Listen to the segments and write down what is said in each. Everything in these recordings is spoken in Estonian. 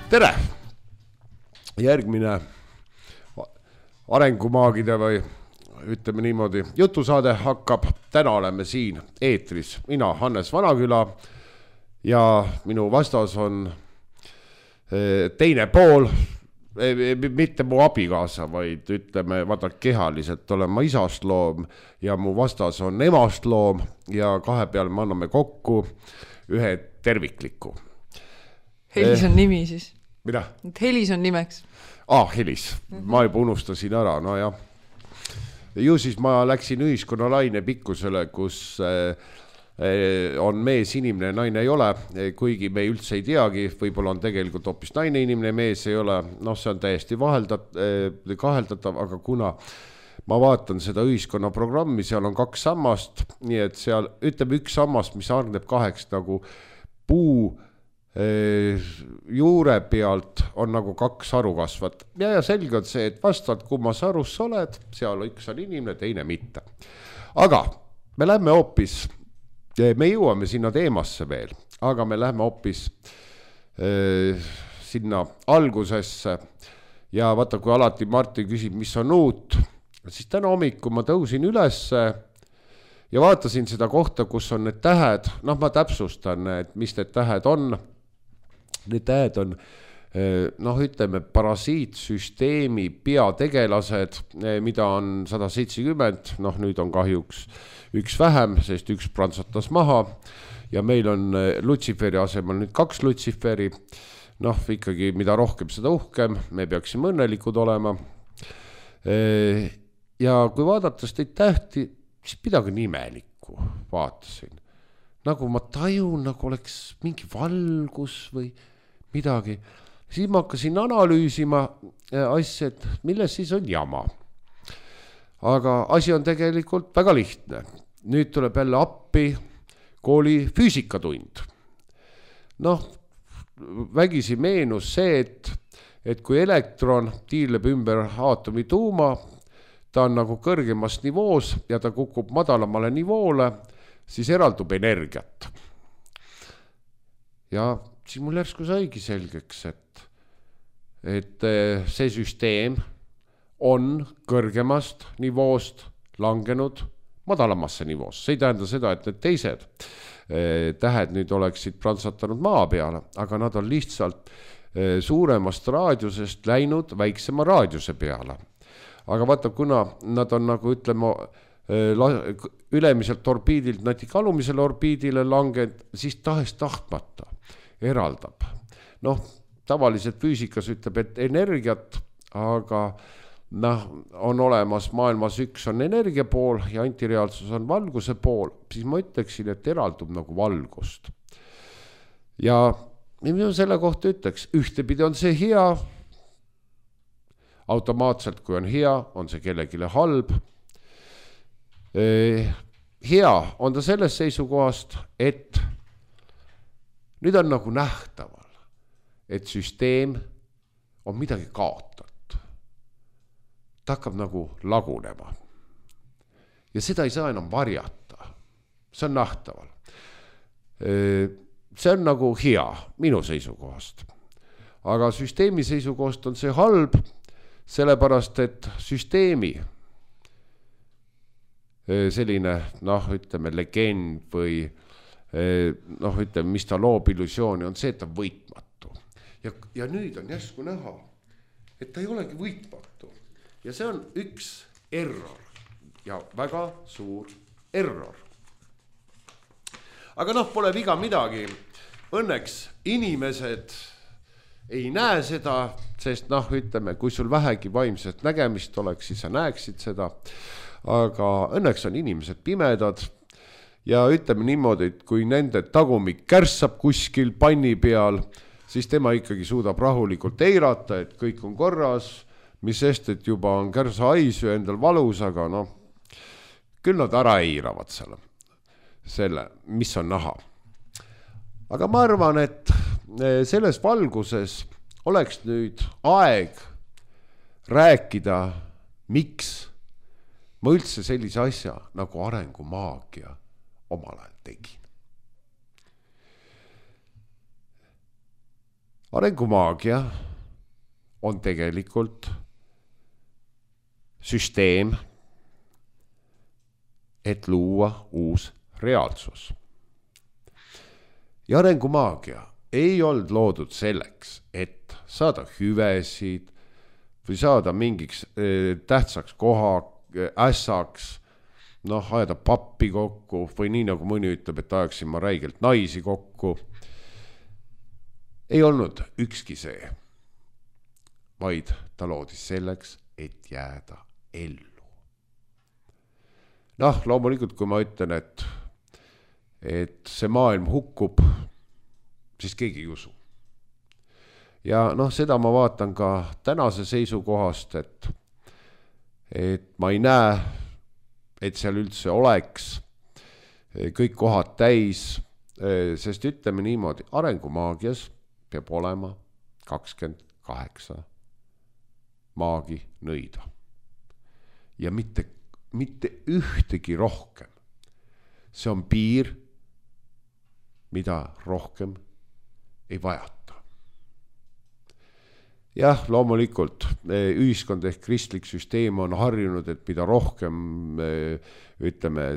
Tere! Järgmine arengumaagide või ütleme niimoodi jutusaade hakkab. Täna oleme siin eetris. Mina Hannes Vanaküla ja minu vastas on teine pool, mitte mu abikaasa, vaid ütleme, vaata kehaliselt olen ma isast loom ja mu vastas on emast loom ja kahe peale me anname kokku ühe tervikliku. Helis on nimi siis. Mida? Helis on nimeks. Helis. Ma juba unustasin ära, no jah. Ju siis ma läksin ühiskonna laine pikkusele, kus on mees inimene, naine ei ole, kuigi me üldse ei teagi, võib-olla on tegelikult hoopis naine inimene, mees ei ole, see on täiesti kaheldatav, aga kuna ma vaatan seda ühiskonna programmi, seal on 2 sammast, nii et seal ütleme üks sammast, mis hargneb 2 nagu puu juure pealt on nagu 2 haru kasvat. Ja selge on see, et vastavalt kummas harus sa oled, seal üks on inimene, teine mitte. Aga me lähme hoopis, me jõuame sinna teemasse veel, aga me lähme hoopis sinna algusesse ja vaata, kui alati Martin küsib, mis on uut, siis täna hommikul ma tõusin ülesse ja vaatasin seda kohta, kus on need tähed, ma täpsustan, et mis need tähed on. Need tähed on, ütleme, parasiitsüsteemi peategelased, mida on 170, nüüd on kahjuks üks vähem, sest üks prantsatas maha ja meil on Lutsiferi asemel nüüd 2 Lutsiferi, ikkagi mida rohkem seda uhkem, me peaksime õnnelikud olema. Ja kui vaadates neid tähti, siis midagi nimelikku vaatasin. Nagu ma tajun, nagu oleks mingi valgus või midagi. Siis ma hakkasin analüüsima asja, et milles siis on jama. Aga asi on tegelikult väga lihtne. Nüüd tuleb jälle appi kooli füüsikatund. Vägisi meenus see, et kui elektron tiirleb ümber aatomi tuuma, ta on nagu kõrgemast nivoos ja ta kukub madalamale nivoole, siis eraldub energiat. Ja siis mul järsku saigi selgeks, et see süsteem on kõrgemast nivoost langenud madalamasse nivoosse. See ei tähenda seda, et need teised tähed nüüd oleksid prantsatanud maa peale, aga nad on lihtsalt suuremast raadiusest läinud väiksema raadiuse peale. Aga vaata, kuna nad on nagu ütleme ülemiselt orbiidilt natuke alumisele orbiidile langenud, siis tahtmata eraldab. Tavaliselt füüsikas ütleb, et energiat, aga on olemas maailmas üks on energia pool ja antireaalsus on valguse pool, siis ma ütleksin, et eraldub nagu valgust. Ja mina selle kohta ütleks, ühtepidi on see hea, automaatselt kui on hea, on see kellegile halb. Hea on ta sellest seisukohast, et nüüd on nagu nähtaval, et süsteem on midagi kaotatud. Ta hakkab nagu lagunema. Ja seda ei saa enam varjata. See on nähtaval. See on nagu hea minu seisukohast. Aga süsteemi seisukohast on see halb, sellepärast, et süsteemi selline, ütleme, legend või ütleme, mis ta loob illusiooni, on see, et ta võitmatu. Ja nüüd on järsku näha, et ta ei olegi võitmatu. Ja see on üks error ja väga suur error. Aga pole viga midagi. Õnneks inimesed ei näe seda, sest ütleme, kui sul vähegi vaimset nägemist oleks, siis sa näeksid seda. Aga õnneks on inimesed pimedad ja ütleme niimoodi, et kui nende tagumik kärssab kuskil panni peal, siis tema ikkagi suudab rahulikult eirata, et kõik on korras, mis sest, et juba on kärsa haisu endal valus, aga küll nad ära eiravad selle, mis on näha. Aga ma arvan, et selles valguses oleks nüüd aeg rääkida, miks ma üldse sellise asja nagu arengumaagia omal ajal tegin. arengumaagia on tegelikult süsteem, et luua uus reaalsus. Ja arengumaagia ei olnud loodud selleks, et saada hüvesid või saada mingiks tähtsaks koha, ässaks, ajada pappi kokku või nii nagu mõni ütleb, et ajaksin ma räigelt naisi kokku. Ei olnud ükski see, vaid ta loodis selleks, et jääda ellu. Loomulikult, kui ma ütlen, et see maailm hukkub, siis keegi ei usu. Ja seda ma vaatan ka tänase seisukohast, et ma ei näe, et seal üldse oleks kõik kohad täis, sest ütleme niimoodi, arengumaagias peab olema 28 maagi nõida. Ja mitte ühtegi rohkem. See on piir, mida rohkem ei vajata. Jah, loomulikult ühiskond ehk kristlik süsteem on harjunud, et mida rohkem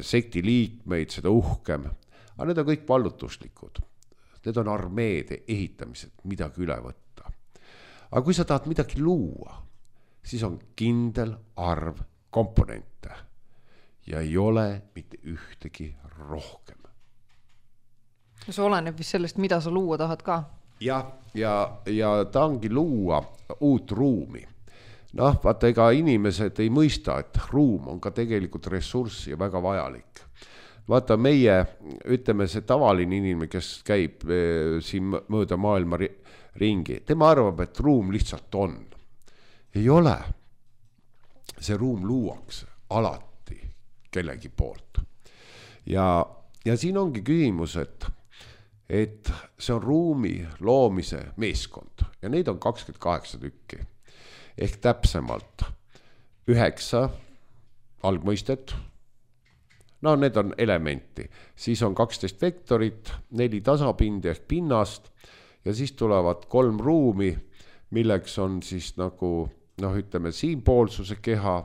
sekti liikmeid, seda uhkem. Aga need on kõik vallutuslikud. Need on armeede ehitamised, midagi üle võtta. Aga kui sa tahad midagi luua, siis on kindel arv komponente ja ei ole mitte ühtegi rohkem. See oleneb vist sellest, mida sa luua tahad ka. Ja ta ongi luua uut ruumi. Vaata, ega inimesed ei mõista, et ruum on ka tegelikult ressurss ja väga vajalik. Vaata, meie, ütleme see tavaline inimene, kes käib siin mööda maailma ringi, tema arvab, et ruum lihtsalt on. Ei ole. See ruum luuakse alati kellegi poolt. Ja siin ongi küsimus, et see on ruumi loomise meeskond ja neid on 28 tükki. Ehk täpsemalt 9 algmõistet. Need on elementi. Siis on 12 vektorit, 4 tasapindi ehk pinnast ja siis tulevad 3 ruumi, milleks on siis nagu, ütleme, siinpoolsuse keha,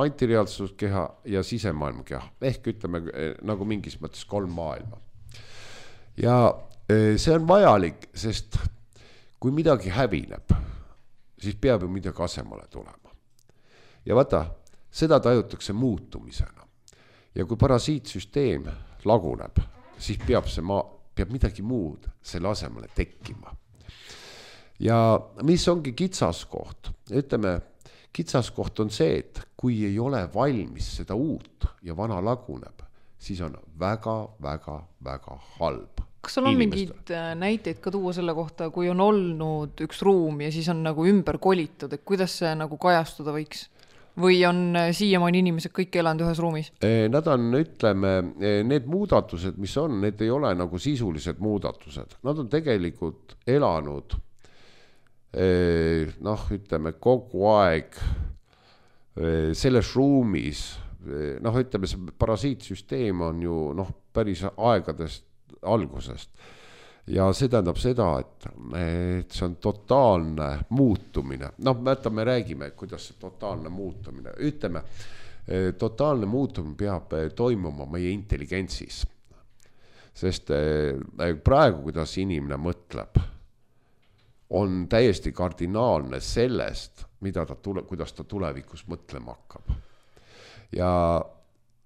antireaalsuse keha ja sisemaailma keha. Ehk ütleme nagu mingis mõttes 3 maailma. Ja see on vajalik, sest kui midagi hävineb, siis peab ju midagi asemale tulema. Ja vaata, seda tajutakse muutumisena. Ja kui parasiitsüsteem laguneb, siis peab midagi muud selle asemele tekkima. Ja mis ongi kitsaskoht? Ütleme, kitsaskoht on see, et kui ei ole valmis seda uut ja vana laguneb, siis on väga, väga, väga halb. Kas sul on mingid näiteid ka tuua selle kohta, kui on olnud üks ruum ja siis on nagu ümber kolitud, et kuidas see nagu kajastuda võiks? Või on siiamaani inimesed kõik elanud ühes ruumis? Nad on, ütleme, need muudatused, mis on, need ei ole nagu sisulised muudatused. Nad on tegelikult elanud, ütleme, kogu aeg selles ruumis. Ütleme, see parasiitsüsteem on ju päris aegadest algusest. Ja see tähendab seda, et see on totaalne muutumine. Me räägime, kuidas see totaalne muutumine. Ütleme, totaalne muutumine peab toimuma meie intelligentsis. Sest praegu, kuidas inimene mõtleb, on täiesti kardinaalne sellest, kuidas ta tulevikus mõtlema hakkab.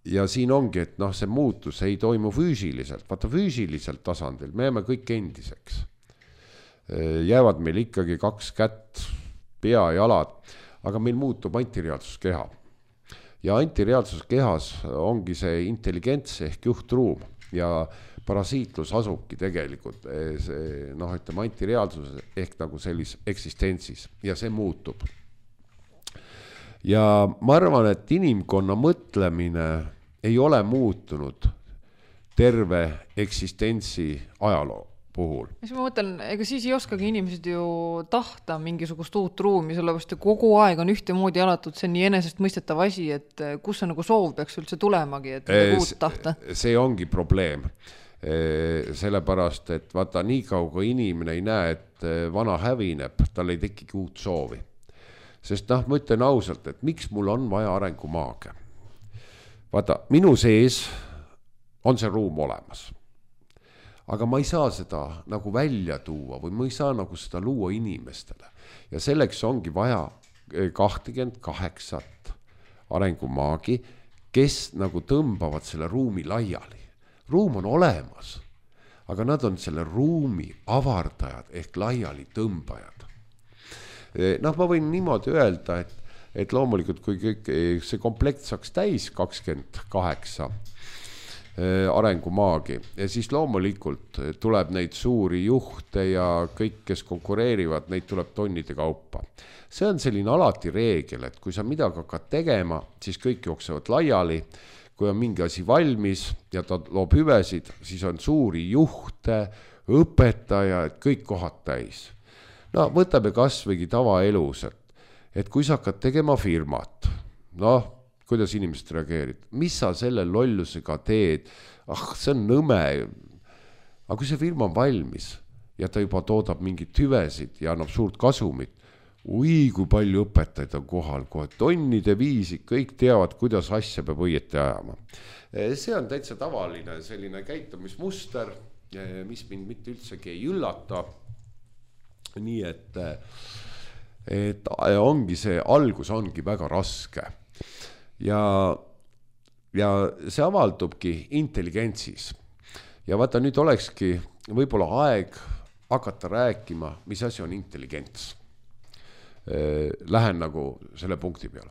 Ja siin ongi, et see muutus ei toimu füüsiliselt. Vaata, füüsiliselt tasandil me jääme kõik endiseks. Jäävad meil ikkagi 2 kätt, pea ja jalad, aga meil muutub antireaalsuskeha. Ja antireaalsuskehas ongi see intelligents ehk juhtruum ja parasiitlus asubki tegelikult ütleme, antireaalsus ehk nagu sellis eksistentsis ja see muutub. Ja ma arvan, et inimkonna mõtlemine ei ole muutunud terve eksistentsi ajaloo puhul. Mis ma mõtlen, ega siis ei oskagi inimesed ju tahta mingisugust uut ruumi, sellepärast kogu aeg on ühtemoodi elatud, see on nii enesest mõistetav asi, et kus see nagu soov peaks üldse tulemagi, et uut tahta? See ongi probleem. sellepärast, et vaata nii kauga inimene ei näe, et vana hävineb, tal ei tekigi uut soovi. Sest ma ütlen ausalt, et miks mul on vaja arengumaage? Vaata, minu sees on see ruum olemas. Aga ma ei saa seda nagu välja tuua või ma ei saa nagu seda luua inimestele. Ja selleks ongi vaja 28 arengumaagi, kes nagu tõmbavad selle ruumi laiali. Ruum on olemas, aga nad on selle ruumi avardajad ehk laiali tõmbajad. Ma võin niimoodi öelda, et loomulikult kui kõik see komplekt saaks täis 28 arengumaagi ja siis loomulikult tuleb neid suuri juhte ja kõik, kes konkureerivad, neid tuleb tonnide kaupa. See on selline alati reegel, et kui sa midagi hakkad tegema, siis kõik jooksevad laiali. Kui on mingi asi valmis ja ta loob hüvesid, siis on suuri juhte, õpetajaid, kõik kohad täis. Võtame kasvõigi tavaelus, et kui sa hakkad tegema firmat, kuidas inimesed reageerid, mis sa selle lollusega teed, see on nõme. Aga kui see firma on valmis ja ta juba toodab mingit hüvesid ja annab suurt kasumit, kui palju õpetajaid on kohal, kohe tonnide viisi, kõik teavad, kuidas asja peab õieti ajama. See on täitsa tavaline selline käitumismuster, mis mind mitte üldsegi ei üllata. Nii et ongi see algus ongi väga raske. Ja see avaldubki intelligentsis. Ja vaata, nüüd olekski võib-olla aeg hakata rääkima, mis asi on intelligents. Lähen nagu selle punkti peale.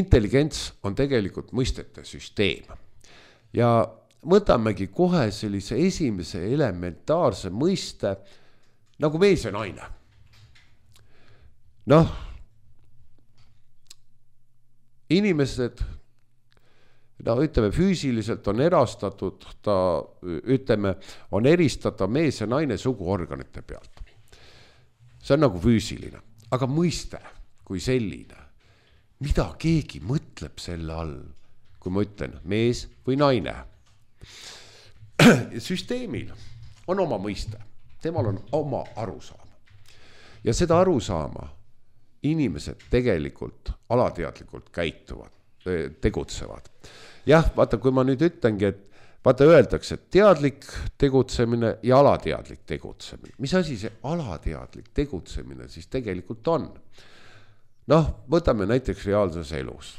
Intelligents on tegelikult mõistete süsteem. Ja võtamegi kohe sellise esimese elementaarse mõiste nagu mees ja naine. Inimesed, ütleme, füüsiliselt on erastatud, on eristatav mees ja naine suguorganite pealt. See on nagu füüsiline. Aga mõiste kui selline, mida keegi mõtleb selle all, kui ma ütlen mees või naine. Süsteemil on oma mõiste, temal on oma arusaama. Ja seda arusaama inimesed tegelikult alateadlikult käituvad, tegutsevad. Jah, vaata, kui ma nüüd ütlengi, et vaata öeldakse, et teadlik tegutsemine ja alateadlik tegutsemine. Mis asi see alateadlik tegutsemine siis tegelikult on? Võtame näiteks reaalses elus.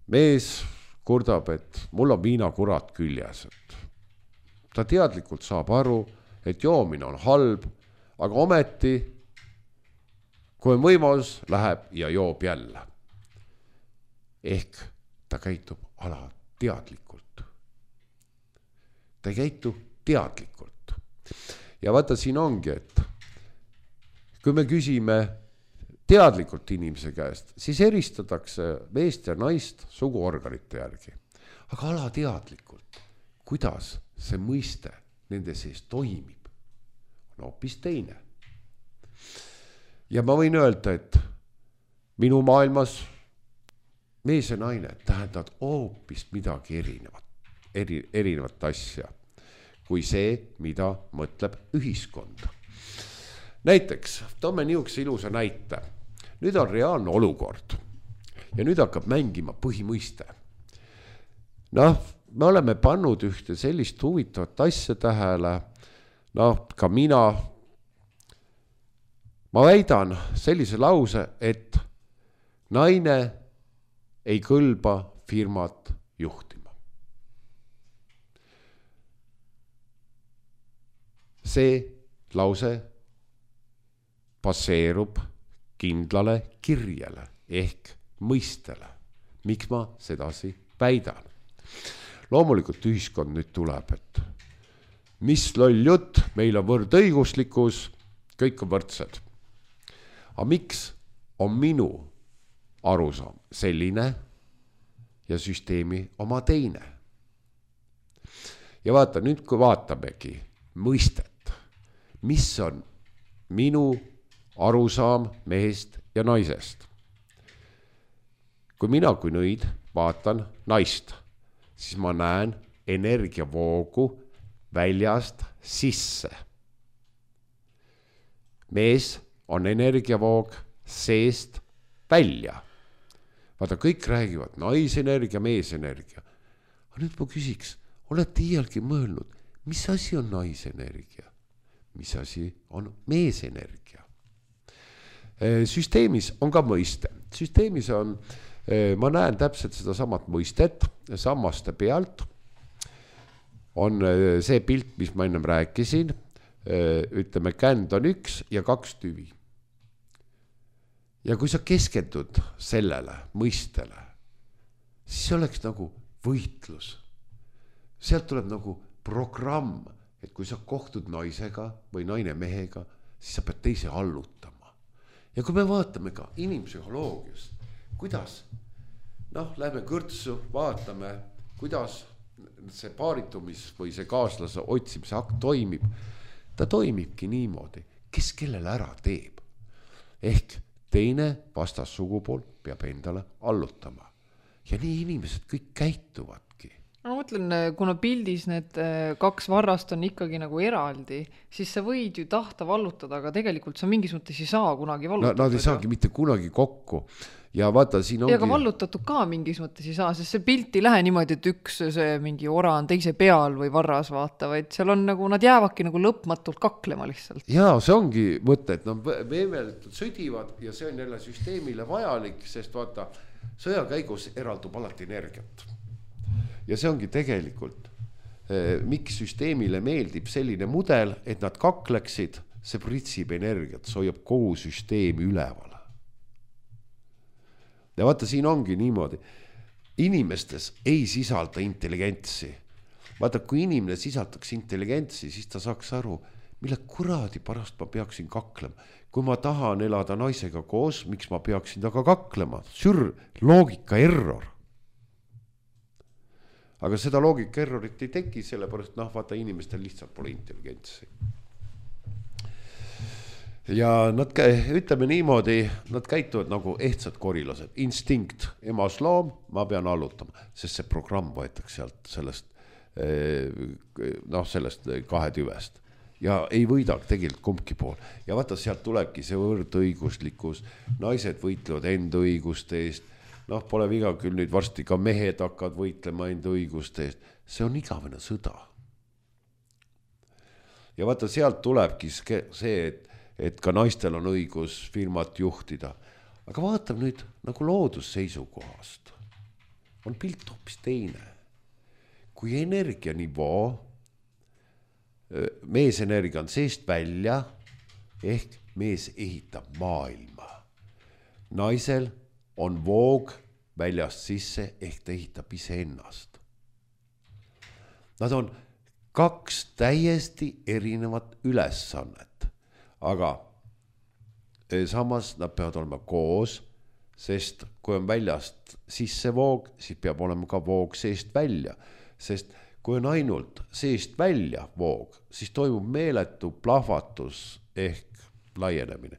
Mees kurdab, et mul on viinakurat küljes. Ta teadlikult saab aru, et joomine on halb, aga ometi, kui on võimalus, läheb ja joob jälle. Ehk ta käitub alateadlikult. Ta ei käitu teadlikult. Ja vaata, siin ongi, et kui me küsime teadlikult inimese käest, siis eristatakse meest ja naist suguorganite järgi. Aga alateadlikult, kuidas see mõiste nende sees toimib, on hoopis teine. Ja ma võin öelda, et minu maailmas mees ja naine tähendavad hoopis midagi erinevat asja, kui see, mida mõtleb ühiskond. Näiteks, toome niisuguse ilusa näite. Nüüd on reaalne olukord ja nüüd hakkab mängima põhimõiste. Me oleme pannud ühte sellist huvitavat asja tähele, ka mina. Ma väidan sellise lause, et naine ei kõlba firmat juhtima. See lause baseerub kindlale kirjele ehk mõistele. Miks ma sedasi väidan? Loomulikult ühiskond nüüd tuleb, et mis loll jutt, meil on võrdõiguslikkus, kõik on võrdsed. Aga miks on minu arusaam selline ja süsteemi oma teine? Ja vaata, nüüd kui vaatamegi mõistet, mis on minu arusaam mehest ja naisest. Kui mina kui nõid vaatan naist, siis ma näen energiavoogu väljast sisse. Mees on energiavoog seest välja. Vaata, kõik räägivad naisenergia, meesenergia. Aga nüüd ma küsiks, olete iialgi mõelnud, mis asi on naisenergia? Mis asi on meesenergia? Süsteemis on ka mõiste. Süsteemis on, ma näen täpselt seda samat mõistet, sammaste pealt on see pilt, mis ma ennem rääkisin, ütleme, känd on 1 ja 2 tüvi. Ja kui sa keskendud sellele mõistele, siis oleks nagu võitlus. Sealt tuleb nagu programm, et kui sa kohtud naisega või naine mehega, siis sa pead teise allutama. Ja kui me vaatame ka inimpsühholoogiast, kuidas, lähme kõrtsu, vaatame, kuidas see paaritumis või see kaaslase otsimise akt toimib, ta toimibki niimoodi, kes kellele ära teeb. Ehk teine vastas sugupool peab endale allutama. Ja nii inimesed kõik käituvadki. Ma mõtlen, kuna pildis need 2 varrast on ikkagi nagu eraldi, siis sa võid ju tahta vallutada, aga tegelikult sa mingis mõttes ei saa kunagi vallutada. Nad ei saagi mitte kunagi kokku. Ja vaata, siin ongi... Ja aga vallutatud ka mingis mõttes ei saa, sest see pilt ei lähe niimoodi, et üks see mingi ora on teise peal või varras vaata, vaid seal on nagu, nad jäävadki nagu lõpmatult kaklema lihtsalt. Jaa, see ongi mõte, et veemeletult sõdivad ja see on jälle süsteemile vajalik, sest vaata, sõja käigus eraldub alati energiat. Ja see ongi tegelikult, miks süsteemile meeldib selline mudel, et nad kakleksid, see pritsib energiat, see hoiab kogu süsteemi üleval. Ja vaata, siin ongi niimoodi. Inimestes ei sisalda intelligentsi. Vaata, kui inimene sisaldaks intelligentsi, siis ta saaks aru, mille kuradi pärast ma peaksin kaklema. Kui ma tahan elada naisega koos, miks ma peaksin taga kaklema? Loogika error. Aga seda loogika errorit ei teki, sellepärast vaata, inimestel lihtsalt pole intelligentsi. Ja nad, ütleme niimoodi, nad käituvad nagu ehtsad korilased. Instinkt, emas loom, ma pean allutama, sest see programm võetakse sealt sellest 2 tüvest. Ja ei võida tegelikult kumbki pool. Ja vaata, sealt tulebki see võrdõiguslikkus. Naised võitlevad enda õiguste eest. Pole viga küll nüüd varsti ka mehed hakkavad võitlema enda õiguste eest. See on igavene sõda. Ja vaata, sealt tulebki see, et ka naistel on õigus firmat juhtida. Aga vaatame nüüd nagu loodusseisukohast. On pilt hoopis teine. Kui energianivoo, meesenergia on seest välja, ehk mees ehitab maailma. Naisel on voog väljast sisse, ehk ta ehitab ise ennast. Nad on 2 täiesti erinevat ülesannet. Aga samas nad peavad olema koos, sest kui on väljast sisse voog, siis peab olema ka voog seest välja. Sest kui on ainult seest välja voog, siis toimub meeletu plahvatus ehk laienemine.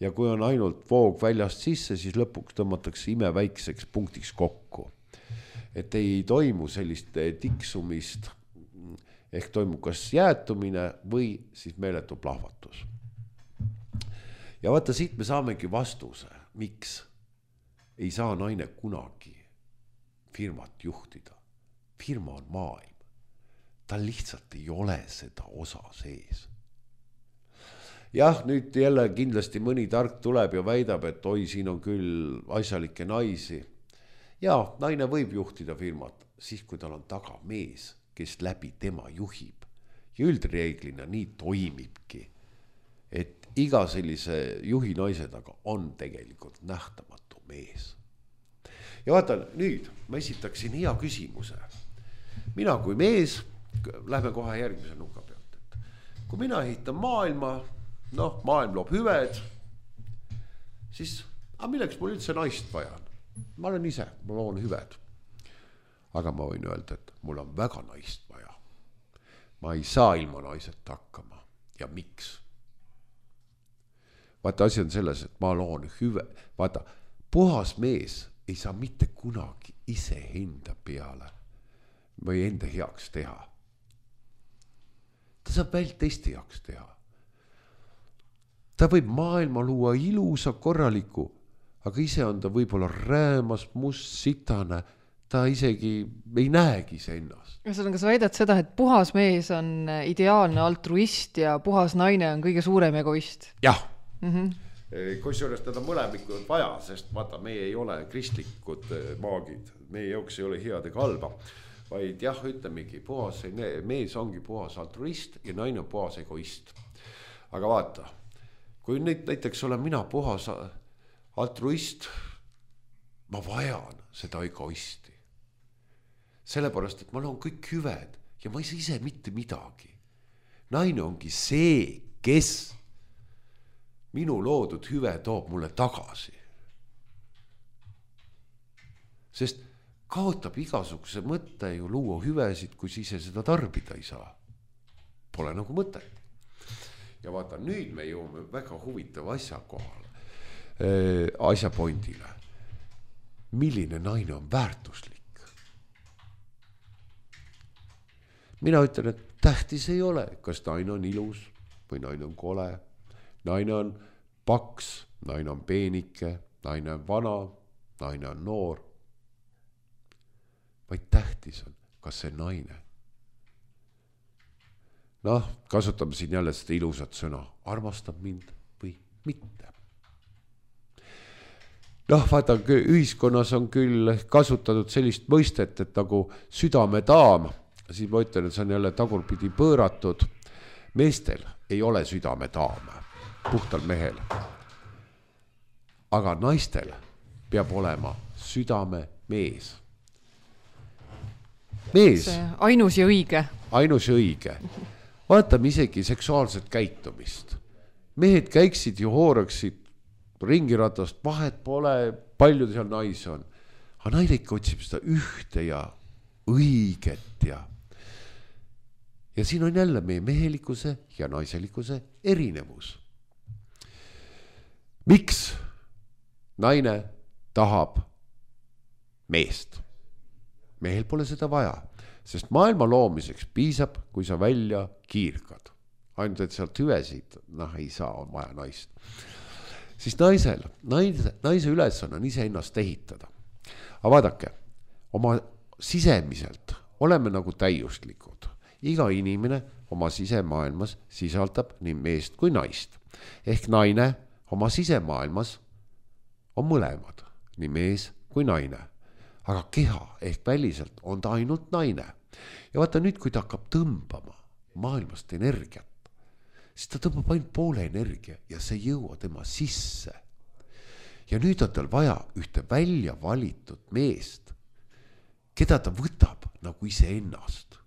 Ja kui on ainult voog väljast sisse, siis lõpuks tõmmatakse imeväikseks punktiks kokku. Et ei toimu sellist tiksumist, ehk toimub kas jäätumine või siis meeletu plahvatus. Ja vaata, siit me saamegi vastuse, miks ei saa naine kunagi firmat juhtida. Firma on maailm. Ta lihtsalt ei ole seda osa sees. Jah, nüüd jälle kindlasti mõni tark tuleb ja väidab, et oi, siin on küll asjalikke naisi. Ja naine võib juhtida firmat, siis kui tal on taga mees, kes läbi tema juhib. Ja üldreeglina nii toimibki, et iga sellise juhi naise taga on tegelikult nähtamatu mees. Ja vaata, nüüd ma esitaksin hea küsimuse. Mina kui mees, lähme kohe järgmise nuka pealt. Et kui mina ehitan maailma, maailm loob hüved, siis milleks mul üldse naist vaja on? Ma olen ise, ma loon hüved. Aga ma võin öelda, et mul on väga naist vaja. Ma ei saa ilma naiseta hakkama. Ja miks? Vaata, asi on selles, et ma loon hüve. Vaata, puhas mees ei saa mitte kunagi ise enda peale või enda heaks teha. ta saab vältesti jaoks teha. Ta võib maailma luua ilusa korraliku, aga ise on ta võib-olla räämas, must, sitane, ta isegi ei näegi see ennast. Kas sa väidad seda, et puhas mees on ideaalne altruist ja puhas naine on kõige suurem egoist? Jah. Kusjuures teda mõlemikku on vaja, sest vaata, meie ei ole kristlikud maagid, meie jaoks ei ole head ega halba, vaid jah, ütlemegi, puhas mees ongi puhas altruist ja naine on puhas egoist. Aga vaata, kui nüüd näiteks olen mina puhas altruist, ma vajan seda egoisti. Sellepärast, et ma loon kõik hüved ja ma ei saa ise mitte midagi. Naine ongi see, kes minu loodud hüve toob mulle tagasi. Sest kaotab igasuguse mõtte ju luua hüvesid, kui ise seda tarbida ei saa. Pole nagu mõtet. Ja vaata, nüüd me jõuame väga huvitava asja kohale, asja pointile. Milline naine on väärtuslik? Mina ütlen, et tähtis ei ole, kas naine on ilus või naine on kole. Naine on paks, naine on peenike, naine on vana, naine on noor. Vaid tähtis on, kas see naine. Noh, kasutame siin jälle seda ilusat sõna. Armastab mind või mitte. Noh, vaata, ühiskonnas on küll kasutatud sellist mõistet, et nagu südamedaam, siis ma ütlen, et see on jälle tagurpidi pööratud. Meestel ei ole südamedaam. Puhtal mehel. Aga naistel peab olema südame mees. Mees. Ainus ja õige. Ainus ja õige. Vaatame isegi seksuaalset käitumist. Mehed käiksid ja hooraksid ringiratast, vahet pole, palju seal naisi on. Aga naine ikka otsib seda ühte ja õiget ja siin on jälle meie mehelikkuse ja naiselikkuse erinevus. Miks naine tahab meest? Mehel pole seda vaja, sest maailma loomiseks piisab, kui sa välja kiirkad. Ainult, et sealt hüvesid, ei saa, on vaja naist. Siis naise ülesanne on ise ennast ehitada. Aga vaadake, oma sisemiselt oleme nagu täiuslikud. Iga inimene oma sisemaailmas sisaldab nii meest kui naist. Ehk naine oma sisemaailmas on mõlemad, nii mees kui naine. Aga keha ehk väliselt on ta ainult naine. Ja vaata nüüd, kui ta hakkab tõmbama maailmast energiat, siis ta tõmbab ainult poole energia ja see ei jõua tema sisse. Ja nüüd on tal vaja ühte välja valitud meest, keda ta võtab nagu iseennast.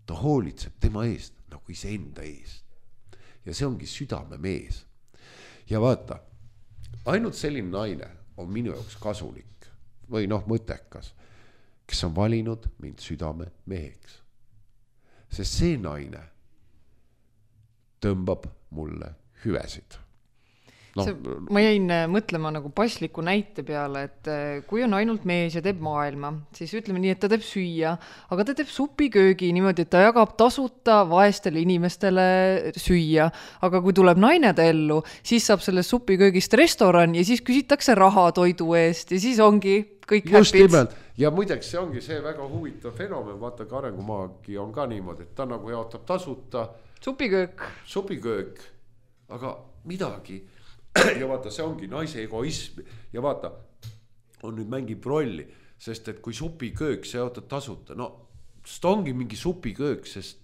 Ta hoolitseb tema eest nagu iseenda eest. Ja see ongi südame mees. Ja vaata, ainult selline naine on minu jaoks kasulik või mõttekas, kes on valinud mind südame meheks. Sest see naine tõmbab mulle hüvesid. Ma jäin mõtlema nagu pasliku näite peale, et kui on ainult mees ja teeb maailma, siis ütleme nii, et ta teeb süüa, aga ta teeb supiköögi niimoodi, et ta jagab tasuta vaestele inimestele süüa. Aga kui tuleb naine ta ellu, siis saab sellest supiköögist restoran ja siis küsitakse raha toidu eest ja siis ongi kõik just häpid. Nimelt. Ja muideks see ongi see väga huvitav fenomen, vaata ka arengumaagi on ka niimoodi, et ta nagu jaotab tasuta supiköök, aga midagi. Ja vaata, see ongi naise egoism ja vaata, on nüüd mängib rolli, sest et kui supiköök see jaotad tasuta, see ongi mingi supiköök, sest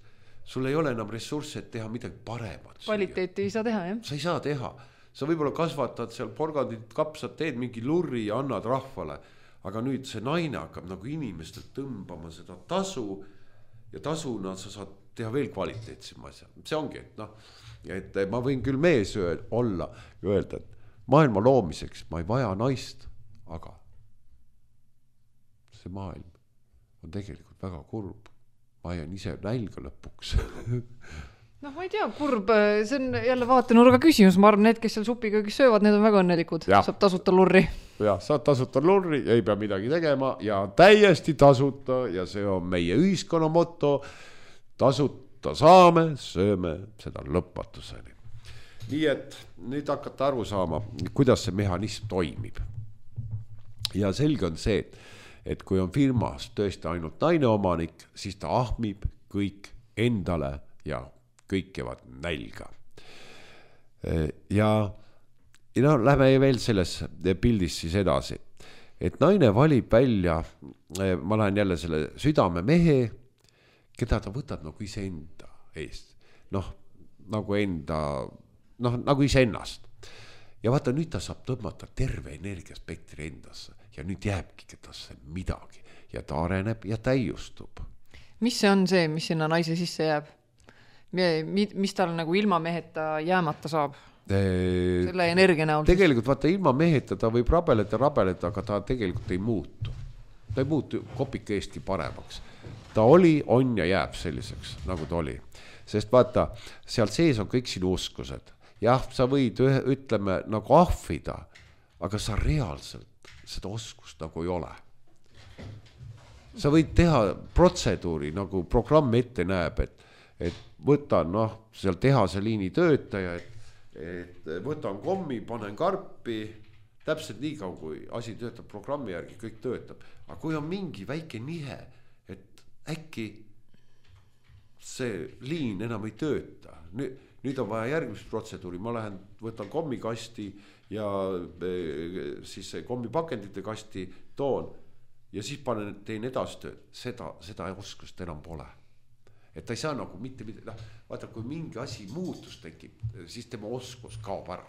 sul ei ole enam ressursse, et teha midagi paremat. Kvaliteeti ei saa teha, jah? Sa ei saa teha. Sa võib-olla kasvatad seal porgandit, kapsad, teed mingi lurri ja annad rahvale, aga nüüd see naine hakkab nagu inimestelt tõmbama seda tasu ja tasuna sa saad teha veel kvaliteetsema asja. See ongi, et ma võin küll mees olla ja öelda, et maailma loomiseks ma ei vaja naist, aga see maailm on tegelikult väga kurb. Ma jään ise nälga lõpuks. Ma ei tea, kurb, see on jälle vaatenurga küsimus. Ma arvan, need, kes seal supiköögis söövad, need on väga õnnelikud. Saab tasuta lurri. Ja, saad tasuta lurri, ei pea midagi tegema ja täiesti tasuta ja see on meie ühiskonna motto. Tasuta võtta saame, sööme seda lõpmatuseni. Nii et nüüd hakata aru saama, kuidas see mehhanism toimib. Ja selge on see, et kui on firmas tõesti ainult naine omanik, siis ta ahmib kõik endale ja kõik jäävad nälga. Ja lähme veel selles pildis siis edasi, et naine valib välja, ma lähen jälle selle südame mehe, keda ta võtab nagu iseenda eest, nagu iseennast. Ja vaata, nüüd ta saab tõmmata terve energiaspektri endasse ja nüüd jääbki kedasse midagi ja ta areneb ja täiustub. Mis see on see, mis sinna naise sisse jääb? Mis tal nagu ilma meheta jäämata saab? Selle energia näol. Tegelikult vaata, ilma meheta ta võib rabeleda, aga ta tegelikult ei muutu. Ta ei muutu kopike eestki paremaks. Ta oli, on ja jääb selliseks, nagu ta oli. Sest vaata, seal sees on kõik sinu oskused. Jah, sa võid ütleme nagu ahvida, aga sa reaalselt seda oskust nagu ei ole. Sa võid teha protseduuri, nagu programm ette näeb, et võtan seal tehase liini töötaja, et võtan kommi, panen karpi, täpselt nii kaua, kui asi töötab programmi järgi, kõik töötab. Aga kui on mingi väike nihe, et äkki see liin enam ei tööta, nüüd on vaja järgmist protseduuri, ma lähen, võtan kommikasti ja siis kommipakendite kasti toon ja siis teen edasi tööd, seda oskust enam pole. Et ta ei saa nagu mitte, vaata, kui mingi asi muutus tekib, siis tema oskus kaob ära.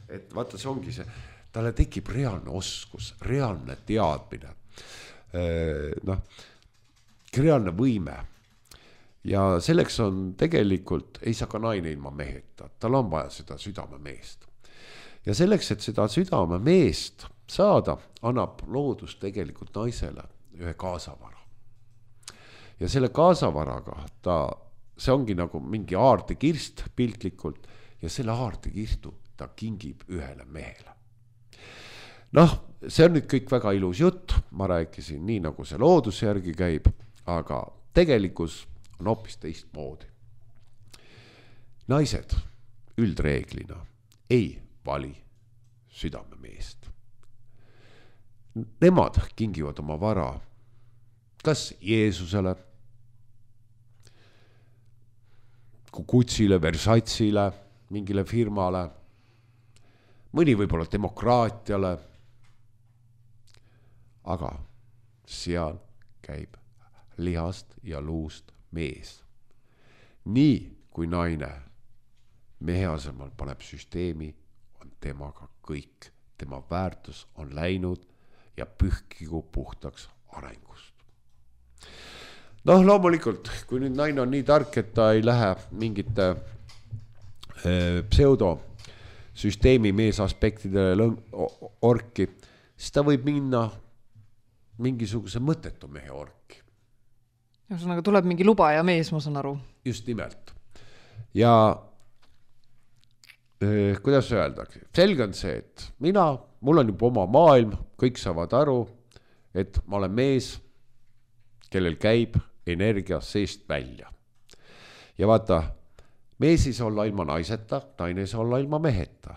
Et vaata, see ongi see, talle tekib reaalne oskus, reaalne teadmine, reaalne võime. Ja selleks on tegelikult, ei saa ka naine ilma meheta, tal on vaja seda südamemeest. Ja selleks, et seda südamemeest saada, annab loodus tegelikult naisele ühe kaasavara. Ja selle kaasavaraga see ongi nagu mingi aardekirst piltlikult ja selle aardekirstu ta kingib ühele mehele. See on nüüd kõik väga ilus jutt, ma rääkisin nii nagu see looduse järgi käib, aga tegelikkus on hoopis teistmoodi. Naised üldreeglina ei vali südamemeest. Nemad kingivad oma vara kas Jeesusele, Kutsile, Versatile, mingile firmale, mõni võib-olla demokraatiale, aga seal käib lihast ja luust mees. Nii kui naine mehe asemel paneb süsteemi, on temaga kõik. Tema väärtus on läinud ja pühkigu puhtaks arengust. Loomulikult, kui nüüd naine on nii tark, et ta ei lähe mingite pseudosüsteemi meesaspektidele orki, siis ta võib minna mingisuguse mõttetu mehe orki. Ühesõnaga tuleb mingi luba ja mees, ma saan aru. Just nimelt. Ja kuidas öeldakse? Selge on see, et mul on juba oma maailm, kõik saavad aru, et ma olen mees, kellel käib energia seest välja. Ja vaata, mees ei saa olla ilma naiseta, naine ei saa olla ilma meheta.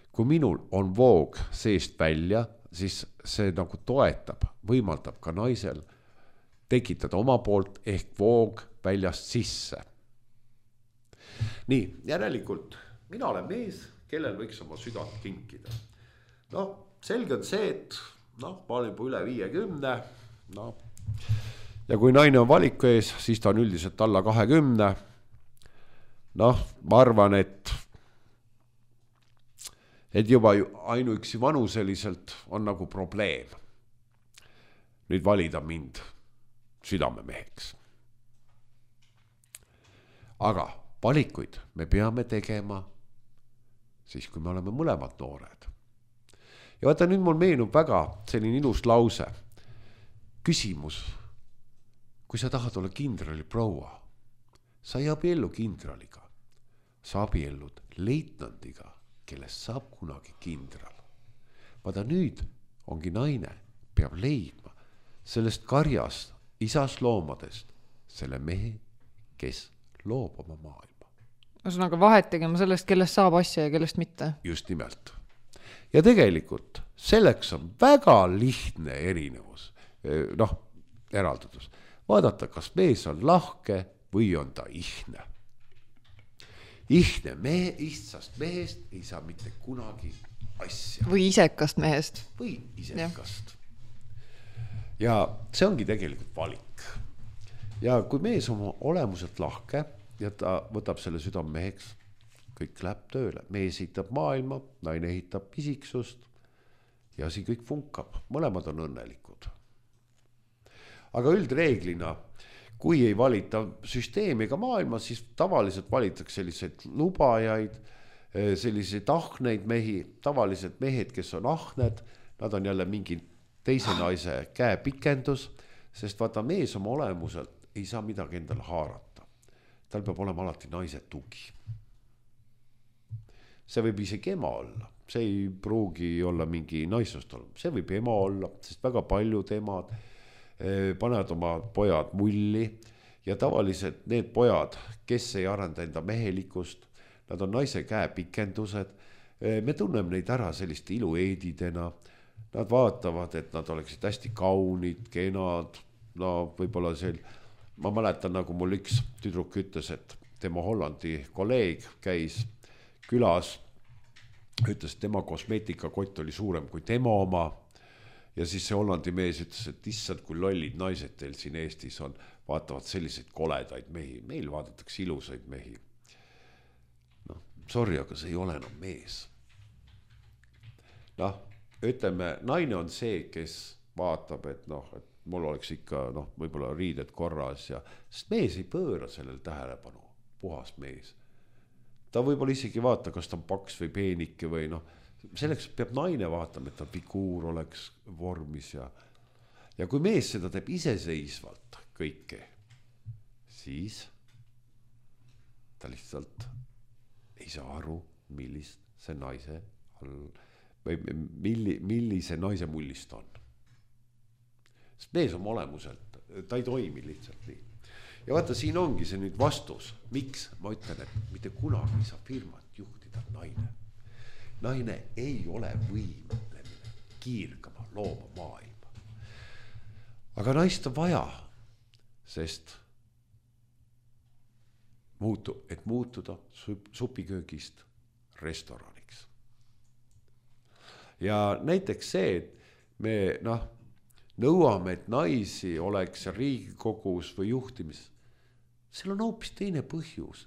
Kui minul on voog seest välja, siis see nagu toetab, võimaldab ka naisel tekitada oma poolt ehk voog väljast sisse. Nii, järelikult mina olen mees, kellel võiks oma südant kinkida. Selge on see, et ma olen juba üle 50, ja kui naine on valiku ees, siis ta on üldiselt alla 20. Ma arvan, et juba ainuüksi vanuseliselt on nagu probleem nüüd valida mind südamemeheks. Aga valikuid me peame tegema siis, kui me oleme mõlemad noored. Ja vaata, nüüd mul meenub väga selline ilus lause. Küsimus. Kui sa tahad olla kindrali proua, sa ei abiellu kindraliga, sa abiellud leitnandiga, kellest saab kunagi kindral. Vaata, nüüd ongi naine, peab leidma sellest karjast, isas loomadest, selle mehe, kes loob oma maailma. Ühesõnaga vahet tegema sellest, kellest saab asja ja kellest mitte. Just nimelt. Ja tegelikult selleks on väga lihtne erinevus, eraldatus. Vaadata, kas mees on lahke või on ta ihne. Ihne istast mehest ei saa mitte kunagi asja. Või isekast mehest. Või isekast. Ja see ongi tegelikult valik. Ja kui mees on olemuselt lahke ja ta võtab selle südammeheks, kõik läheb tööle. Mees ehitab maailma, naine ehitab isiksust ja siin kõik funkab. Mõlemad on õnnelikud. Aga üldreeglina, kui ei valita süsteemi ega maailma, siis tavaliselt valitaks selliseid lubajaid, selliseid ahneid mehi, tavaliselt mehed, kes on ahned, nad on jälle mingi teise naise käepikendus, sest vaata mees oma olemuselt ei saa midagi endale haarata. Tal peab olema alati naise tugi. See võib isegi ema olla, see ei pruugi olla mingi naisust olla, see võib ema olla, sest väga paljud emad panevad oma pojad mulli ja tavaliselt need pojad, kes ei arenda enda mehelikust, nad on naise käepikendused, me tunneme neid ära selliste ilueedidena, nad vaatavad, et nad oleksid hästi kaunid, kenad, no võib-olla ma mäletan, nagu mul üks tüdruk ütles, et tema Hollandi kolleeg käis külas, ütles, et tema kosmeetikakott oli suurem kui tema oma ja siis see Hollandi mees ütles, et issand, kui lollid naised teil siin Eestis on, vaatavad selliseid koledaid mehi, meil vaadatakse ilusaid mehi. Sorry, aga see ei ole enam mees. Ütleme, naine on see, kes vaatab, et mul oleks ikka võib-olla riided korras ja sest mees ei pööra sellel tähelepanu, puhas mees. Ta võib-olla isegi vaata, kas ta on paks või peenike või selleks peab naine vaatama, et ta figuur oleks vormis ja kui mees seda teeb iseseisvalt kõike, siis ta lihtsalt ei saa aru, millise naise naise mullist on. Sest mees on olemuselt, ta ei toimi lihtsalt nii. Ja vaata, siin ongi see nüüd vastus, miks ma ütlen, et mitte kunagi saa firmat juhtida naine. Naine ei ole võimeline kiirgama, looma maailma. Aga naist on vaja, sest et muutuda supiköögist restoraniks. Ja näiteks see, et me nõuame, et naisi oleks Riigikogus või juhtimises, seal on hoopis teine põhjus.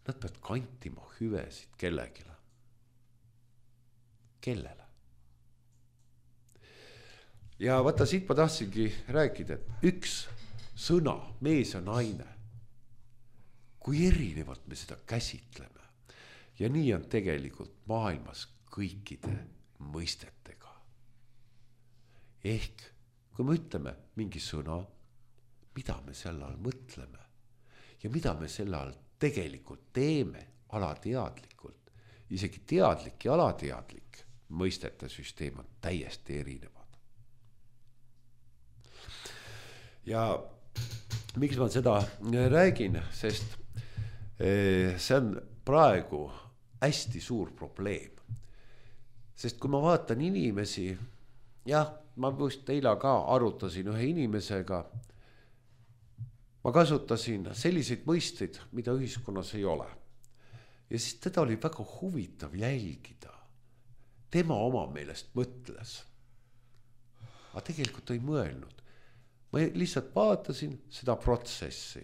Nad peavad kantima hüvesid kellegile. Kellele? Ja vaata, siit ma tahtsingi rääkida, et üks sõna, mees ja naine, kui erinevalt me seda käsitleme. Ja nii on tegelikult maailmas kõikide mõistetega. Ehk kui me ütleme mingi sõna, mida me selle all mõtleme ja mida me selle all tegelikult teeme alateadlikult, isegi teadlik ja alateadlik mõistete süsteem on täiesti erinevad. Ja miks ma seda räägin, sest see on praegu hästi suur probleem. Sest kui ma vaatan inimesi, ma just eile ka arutasin ühe inimesega, ma kasutasin selliseid mõisteid, mida ühiskonnas ei ole. Ja siis teda oli väga huvitav jälgida. Tema oma meelest mõtles. Aga tegelikult ei mõelnud. Ma lihtsalt vaatasin seda protsessi.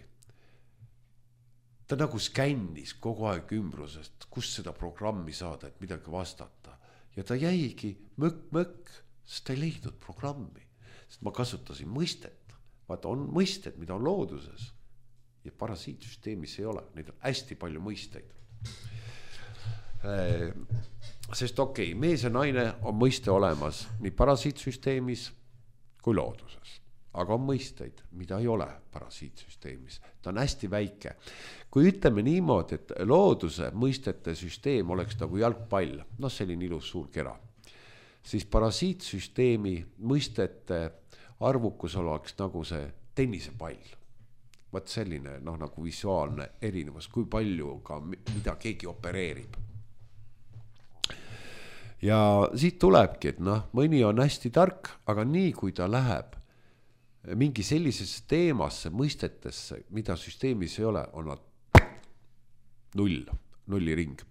Ta nagu skännis kogu aeg ümbrusest, kus seda programmi saada, et midagi vastata. Ja ta jäigi mõkk, sest ta ei leidnud programmi. Sest ma kasutasin mõistet. Vaata, on mõisted, mida on looduses. Ja parasiitsüsteemis ei ole. Neid on hästi palju mõisteid. Sest mees ja naine on mõiste olemas nii parasiitsüsteemis kui looduses. Aga on mõisteid, mida ei ole parasiitsüsteemis. Ta on hästi väike. Kui ütleme niimoodi, et looduse mõistete süsteem oleks nagu jalgpall, selline ilus suur kera, siis parasiitsüsteemi mõistete arvukus oleks nagu see tennisepall. Vaat selline nagu visuaalne erinevus, kui palju ka mida keegi opereerib. Ja siit tulebki, et mõni on hästi tark, aga nii kui ta läheb mingi sellisesse teemasse, mõistetesse, mida süsteemis ei ole, on nad nulliring.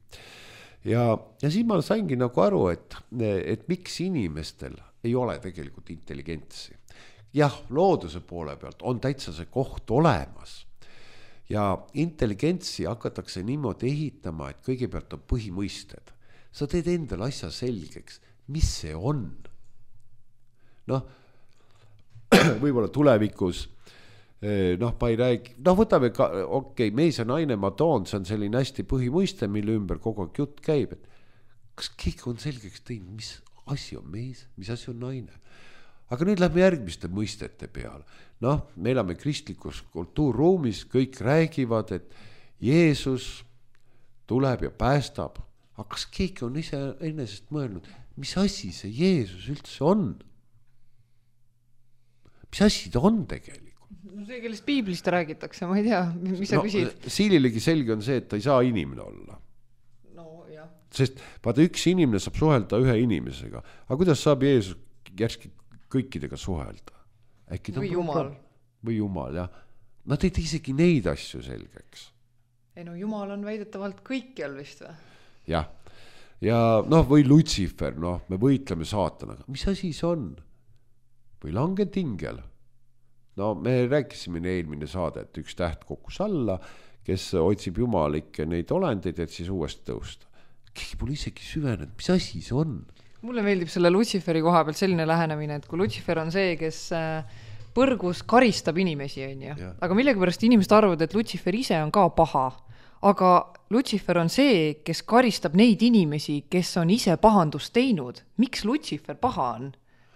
Ja siis ma saingi nagu aru, et miks inimestel ei ole tegelikult intelligentsi. Jah, looduse poole pealt on täitsa see koht olemas ja intelligentsi hakatakse niimoodi ehitama, et kõigepealt on põhimõisted. Sa teed endale asja selgeks, mis see on. Võib-olla tulevikus, ma ei räägi, võtame ka, mees ja naine ma toon, see on selline hästi põhimõiste, mille ümber kogu aeg jutt käib, et kas keegi on selgeks teinud, mis asi on mees, mis asi on naine. Aga nüüd lähme järgmiste mõistete peale. Me elame kristlikus kultuurruumis, kõik räägivad, et Jeesus tuleb ja päästab. Aga kas keegi on ise enesest mõelnud, mis asi see Jeesus üldse on? Mis asi ta on tegelikult? See, kellest piiblist räägitakse, ma ei tea, mis sa küsid? Siililegi selge on see, et ta ei saa inimene olla. Sest vaata, üks inimene saab suhelda ühe inimesega. Aga kuidas saab Jeesus järski kõikidega suhelda? Või Jumal. Või Jumal, jah. Nad ei tee isegi neid asju selgeks. Ei Jumal on väidetavalt kõikjal vist või? Jah. Ja või Lutsifer, me võitleme saatanaga. Mis asi see on? Või langenud ingel? Me rääkisime eelmine saade, et üks täht kukkus alla, kes otsib jumalikke neid olendeid, et siis uuesti tõusta. Keegi pole isegi süvenenud, mis asi see on? Mulle meeldib selle Lutsiferi koha pealt selline lähenemine, et kui Lutsifer on see, kes põrgus karistab inimesi, on ju. Aga millegipärast inimesed arvavad, et Lutsifer ise on ka paha. Aga Lutsifer on see, kes karistab neid inimesi, kes on ise pahandust teinud. Miks Lutsifer paha on?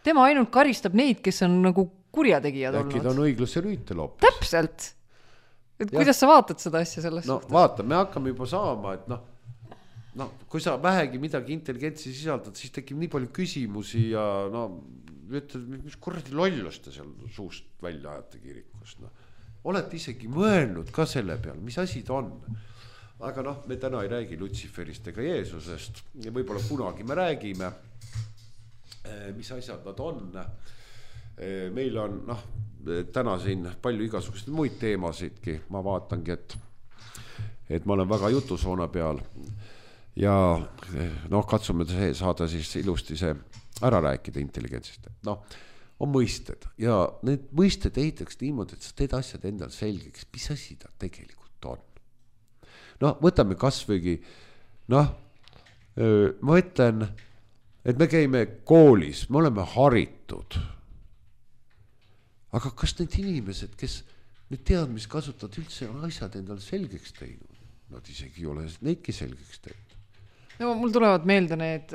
Tema ainult karistab neid, kes on nagu kurjategijad olnud. Äkki ta on õigluse rüütel hoopis. Täpselt. Et kuidas sa vaatad seda asja selles suhtes? Vaata, me hakkame juba saama, et kui sa vähegi midagi intelligentsi sisaldad, siis tekib nii palju küsimusi ja ütled, mis kuradi lollust te seal suust välja ajate kirikust. Olete isegi mõelnud ka selle peale, mis asi ta on. Aga me täna ei räägi Lutsiferist ega Jeesusest ja võib-olla kunagi me räägime, mis asjad nad on. Meil on täna siin palju igasuguseid muid teemasidki. Ma vaatangi, et ma olen väga jutusoona peal. Ja katsume saada siis ilusti see ära rääkida intelligentsist. On mõisted ja need mõisted ehitaks niimoodi, et sa teed asjad endal selgeks, mis asi ta tegelikult on. Võtame kasvõigi, ma ütlen, et me käime koolis, me oleme haritud. Aga kas need inimesed, kes need teadmisi kasutavad, üldse on asjad endal selgeks teinud? Nad isegi ei ole neidki selgeks teinud. Mul tulevad meelde need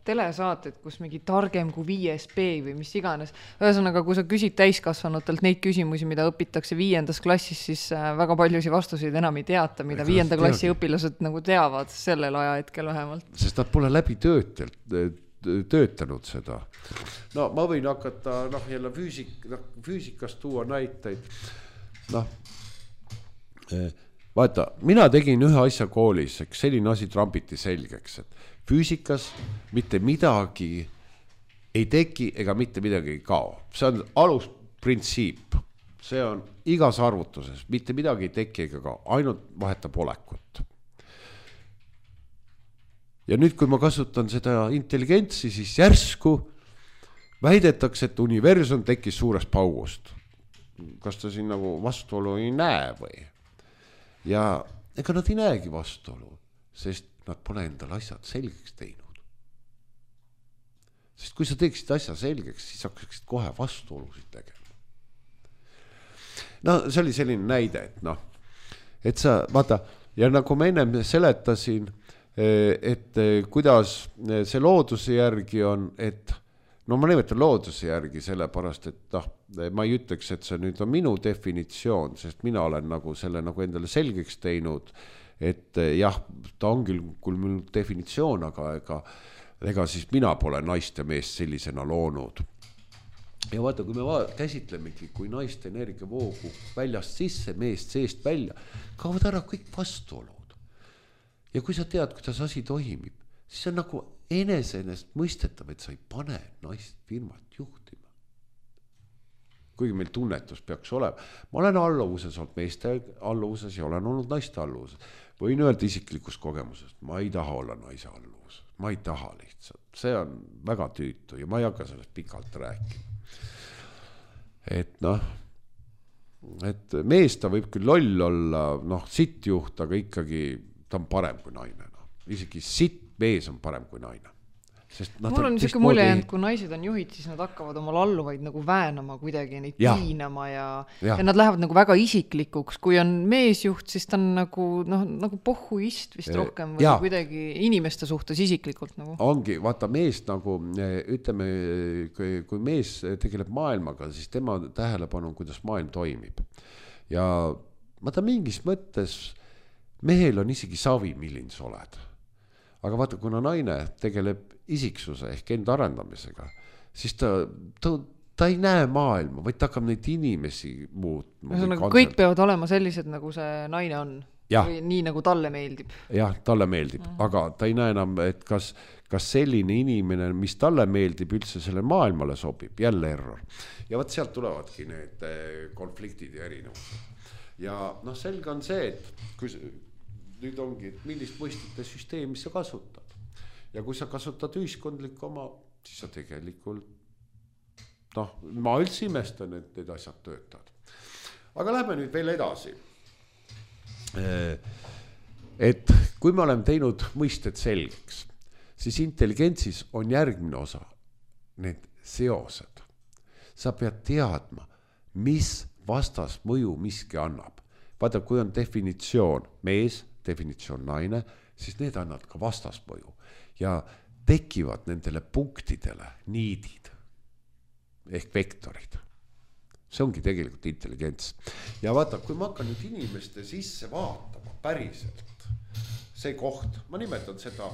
telesaated, kus mingi targem kui 5B või mis iganes. Ühesõnaga, kui sa küsid täiskasvanutelt neid küsimusi, mida õpitakse 5. klassis, siis väga paljusi vastuseid enam ei teata, mida 5. klassi õpilased nagu teavad sellel ajahetkel vähemalt. Sest nad pole läbi töötanud seda. Ma võin hakata jälle füüsikast tuua näiteid. Vaata, mina tegin ühe asja koolis, selline asi trambiti selgeks, et füüsikas mitte midagi ei teki ega mitte midagi ei kao. See on alusprintsiip. See on igas arvutuses, mitte midagi ei teki ega kao, ainult vahetab olekut. Ja nüüd, kui ma kasutan seda intelligentsi, siis järsku väidetakse, et universum tekkis suurest paugust. Kas ta siin nagu vastuolu ei näe või? Ja ega nad ei näegi vastuolu, sest nad pole endal asjad selgeks teinud. Sest kui sa teeksid asja selgeks, siis hakkaksid kohe vastuolusid tegema. See oli selline näide, et sa, vaata, ja nagu ma ennem seletasin, et kuidas see looduse järgi on, et ma nimetan looduse järgi sellepärast, et ma ei ütleks, et see nüüd on minu definitsioon, sest mina olen nagu selle nagu endale selgeks teinud, et jah, ta on küll minu definitsioon, aga ega siis mina pole naist ja meest sellisena loonud. ja vaata, kui me käsitlemegi, kui naiste energiavoogu väljast sisse, meest seest välja, kaovad ära kõik vastuolud. Ja kui sa tead, kuidas asi toimib, siis on nagu eneseenest mõistetav, et sa ei pane naist firmat juhtima. Kuigi meil tunnetus peaks olema. Ma olen alluvuses olnud meeste alluvuses ja olen olnud naiste alluvuses. Võin öelda isiklikust kogemusest, ma ei taha olla naise alluvuses. Ma ei taha lihtsalt. See on väga tüütu ja ma ei hakka sellest pikalt rääkima. Et et mees ta võib küll loll olla, sittjuht, aga ikkagi ta on parem kui naine. Isegi sitt mees on parem kui naine. Mul on niisugune mulje, et kui naised on juhid, siis nad hakkavad oma alluvaid nagu väänama kuidagi, neid piinama ja nad lähevad nagu väga isiklikuks. Kui on meesjuht, siis ta on nagu pohhuist vist rohkem või kuidagi inimeste suhtes isiklikult. Nagu. Ongi, vaata mees nagu, ütleme, kui mees tegeleb maailmaga, siis tema tähelepanu on, kuidas maailm toimib. Ja vaata mingis mõttes mehel on isegi savi, milline sa oled. Aga vaata, kuna naine tegeleb isiksuse ehk enda arendamisega, siis ta ei näe maailma, vaid ta hakkab neid inimesi muutma. Kõik peavad olema sellised, nagu see naine on. Või nii, nagu talle meeldib. Jah, talle meeldib. Aga ta ei näe enam, et kas selline inimene, mis talle meeldib, üldse selle maailmale sobib. Jälle error. Ja vaat sealt tulevadki need konfliktid ja erinevused. Ja selge on see, et kui nüüd ongi, et millist mõistite süsteemi sa kasutad. Ja kui sa kasutad ühiskondlikku oma, siis sa tegelikult, ma üldse imestan, et need asjad töötavad. Aga lähme nüüd veel edasi. Et kui me oleme teinud mõisted selgeks, siis intelligentsis on järgmine osa, need seosed. Sa pead teadma, mis vastas mõju miski annab. Vaata, kui on definitsioon mees, definitsioon naine, siis need annavad ka vastasmõju ja tekivad nendele punktidele niidid ehk vektorid. See ongi tegelikult intelligents. Ja vaata, kui ma hakkan nüüd inimeste sisse vaatama päriselt, see koht, ma nimetan seda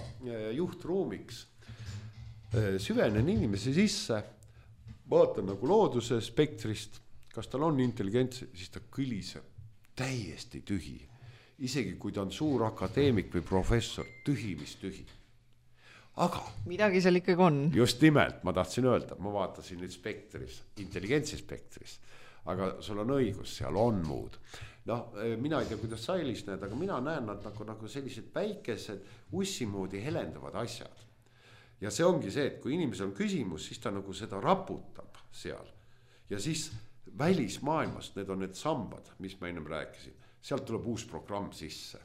juhtruumiks, süvenen inimese sisse, vaatan nagu looduse spektrist, kas tal on intelligents, siis ta kõliseb täiesti tühi. Isegi kui ta on suur akadeemik või professor, tühi, mis tühi. Aga midagi seal ikkagi on. Just nimelt, ma tahtsin öelda, ma vaatasin nüüd spektris, intelligentsi spektris, aga sul on õigus, seal on muud. Mina ei tea, kuidas sa Elis näed, aga mina näen nad nagu sellised väikesed ussimoodi helendavad asjad. Ja see ongi see, et kui inimesel on küsimus, siis ta nagu seda raputab seal. Ja siis välismaailmast, need on need sambad, mis ma ennem rääkisin. Sealt tuleb uus programm sisse.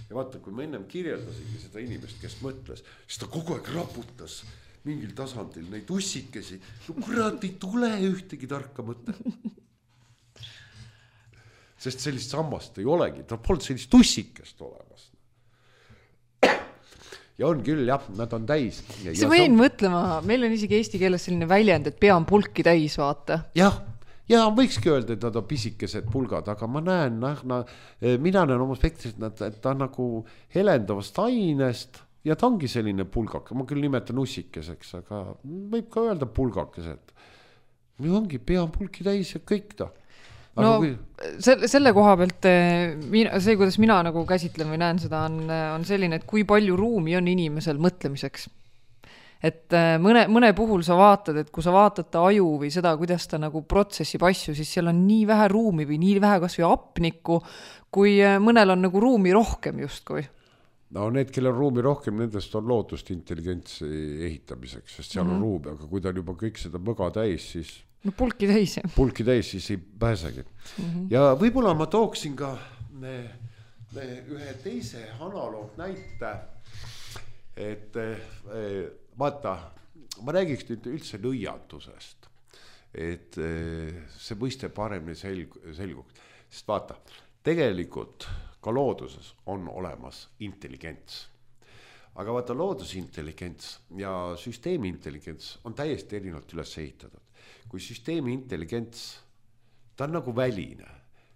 Ja vaata, kui ma ennem kirjeldasingi seda inimest, kes mõtles, siis ta kogu aeg raputas mingil tasandil neid ussikesi. Kurat, ei tule ühtegi tarka mõte. Sest sellist sammast ei olegi, ta polnud sellist ussikest olemas. Ja on küll, jah, nad on täis. See võin mõtlema, meil on isegi eesti keeles selline väljend, et pea on pulki täis, vaata. Ja võikski öelda, et nad on pisikesed pulgad, aga ma näen, mina näen oma spektris, et ta on nagu helendavast ainest ja ta ongi selline pulgak. Ma küll nimetan ussikeseks, aga võib ka öelda pulgakesed. Ongi pea on pulki täis ja kõik ta. Selle koha pealt, see, kuidas mina nagu käsitlen või näen seda, on selline, et kui palju ruumi on inimesel mõtlemiseks. Et mõne puhul sa vaatad, et kui sa vaatad ta aju või seda, kuidas ta nagu protsessib asju, siis seal on nii vähe ruumi või nii vähe kas või apnikku, kui mõnel on nagu ruumi rohkem justkui. Need, kellel on ruumi rohkem, nendest on lootust intelligentsi ehitamiseks, sest seal on ruumi, aga kui ta on juba kõik seda mõga täis, siis pulki täis, siis ei pääsegi. Ja võib-olla ma tooksin ka ühe teise analoog näite, et vaata, ma räägiks nüüd üldse nõiatusest, et see mõiste paremini selguks, sest vaata, tegelikult ka looduses on olemas intelligents. Aga vaata, loodusintelligents ja süsteemi intelligents on täiesti erinevalt üles ehitatud. Kui süsteemi intelligents, ta on nagu väline,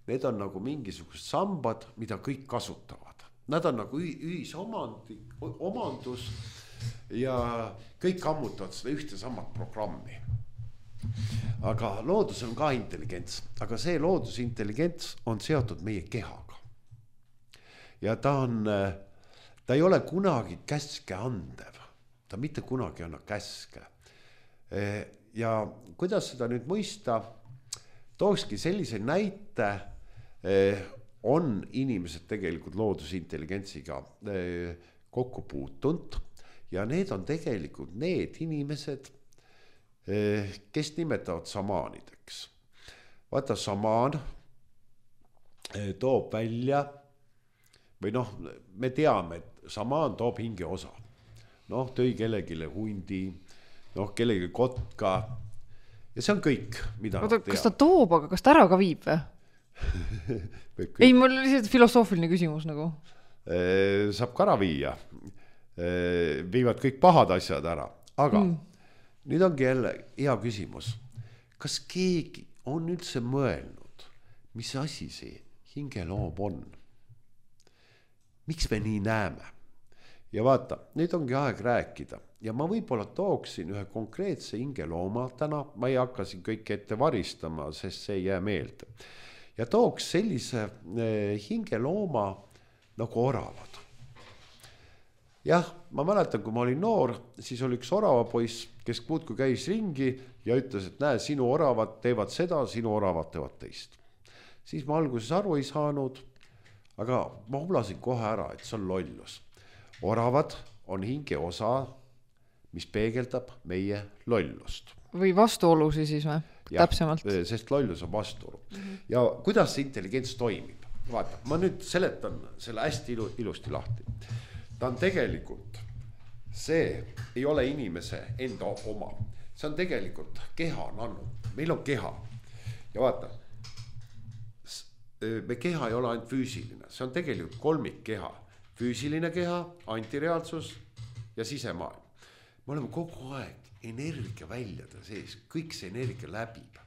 need on nagu mingisugused sambad, mida kõik kasutavad. Nad on nagu omandus ja kõik ammutavad seda ühte samat programmi. aga loodus on ka intelligents, aga see loodusintelligents on seotud meie kehaga. Ja ta ei ole kunagi käske andev, ta mitte kunagi anna käske. Ja kuidas seda nüüd mõista, tookski sellise näite, on inimesed tegelikult loodusintelligentsiga kokku puutunud ja need on tegelikult need inimesed, kes nimetavad samaanideks. Vaata, samaan toob välja või noh, me teame, et samaan toob hinge osa. Noh, tõi kellegile hundi, noh, kellegi kotka ja see on kõik, mida oota, kas ta toob, aga kas ta ära ka viib või? Ei, mul lihtsalt filosoofiline küsimus nagu. Saab ka ära viia. Viivad kõik pahad asjad ära, aga nüüd ongi jälle hea küsimus. Kas keegi on üldse mõelnud, mis asi see hingeloom on? Miks me nii näeme? Ja vaata, nüüd ongi aeg rääkida ja ma võib-olla tooksin ühe konkreetse hingelooma täna, ma ei hakka siin kõik ette varistama, sest see ei jää meelde. Ja tooks sellise hingelooma nagu oravad. Jah, ma mäletan, kui ma olin noor, siis oli üks oravapoiss, kes muudkui käis ringi ja ütles, et näe, sinu oravad teevad seda, sinu oravad teevad teist. Siis ma alguses aru ei saanud, aga ma hublasin kohe ära, et see on lollus. Oravad on hinge osa, mis peegeldab meie lollust. Või vastuolusi siis või? Täpsemalt. Sest lollus on vastuolu. Ja kuidas see intelligents toimib? Vaata, ma nüüd seletan selle hästi ilusti lahti. Ta on tegelikult, see ei ole inimese enda oma. See on tegelikult keha nannu. Meil on keha. Ja vaata, me keha ei ole ainult füüsiline. See on tegelikult kolmik keha. Füüsiline keha, antireaalsus ja sisemaailm. Me oleme kogu aeg energia väljade sees. Kõik see energia läbib.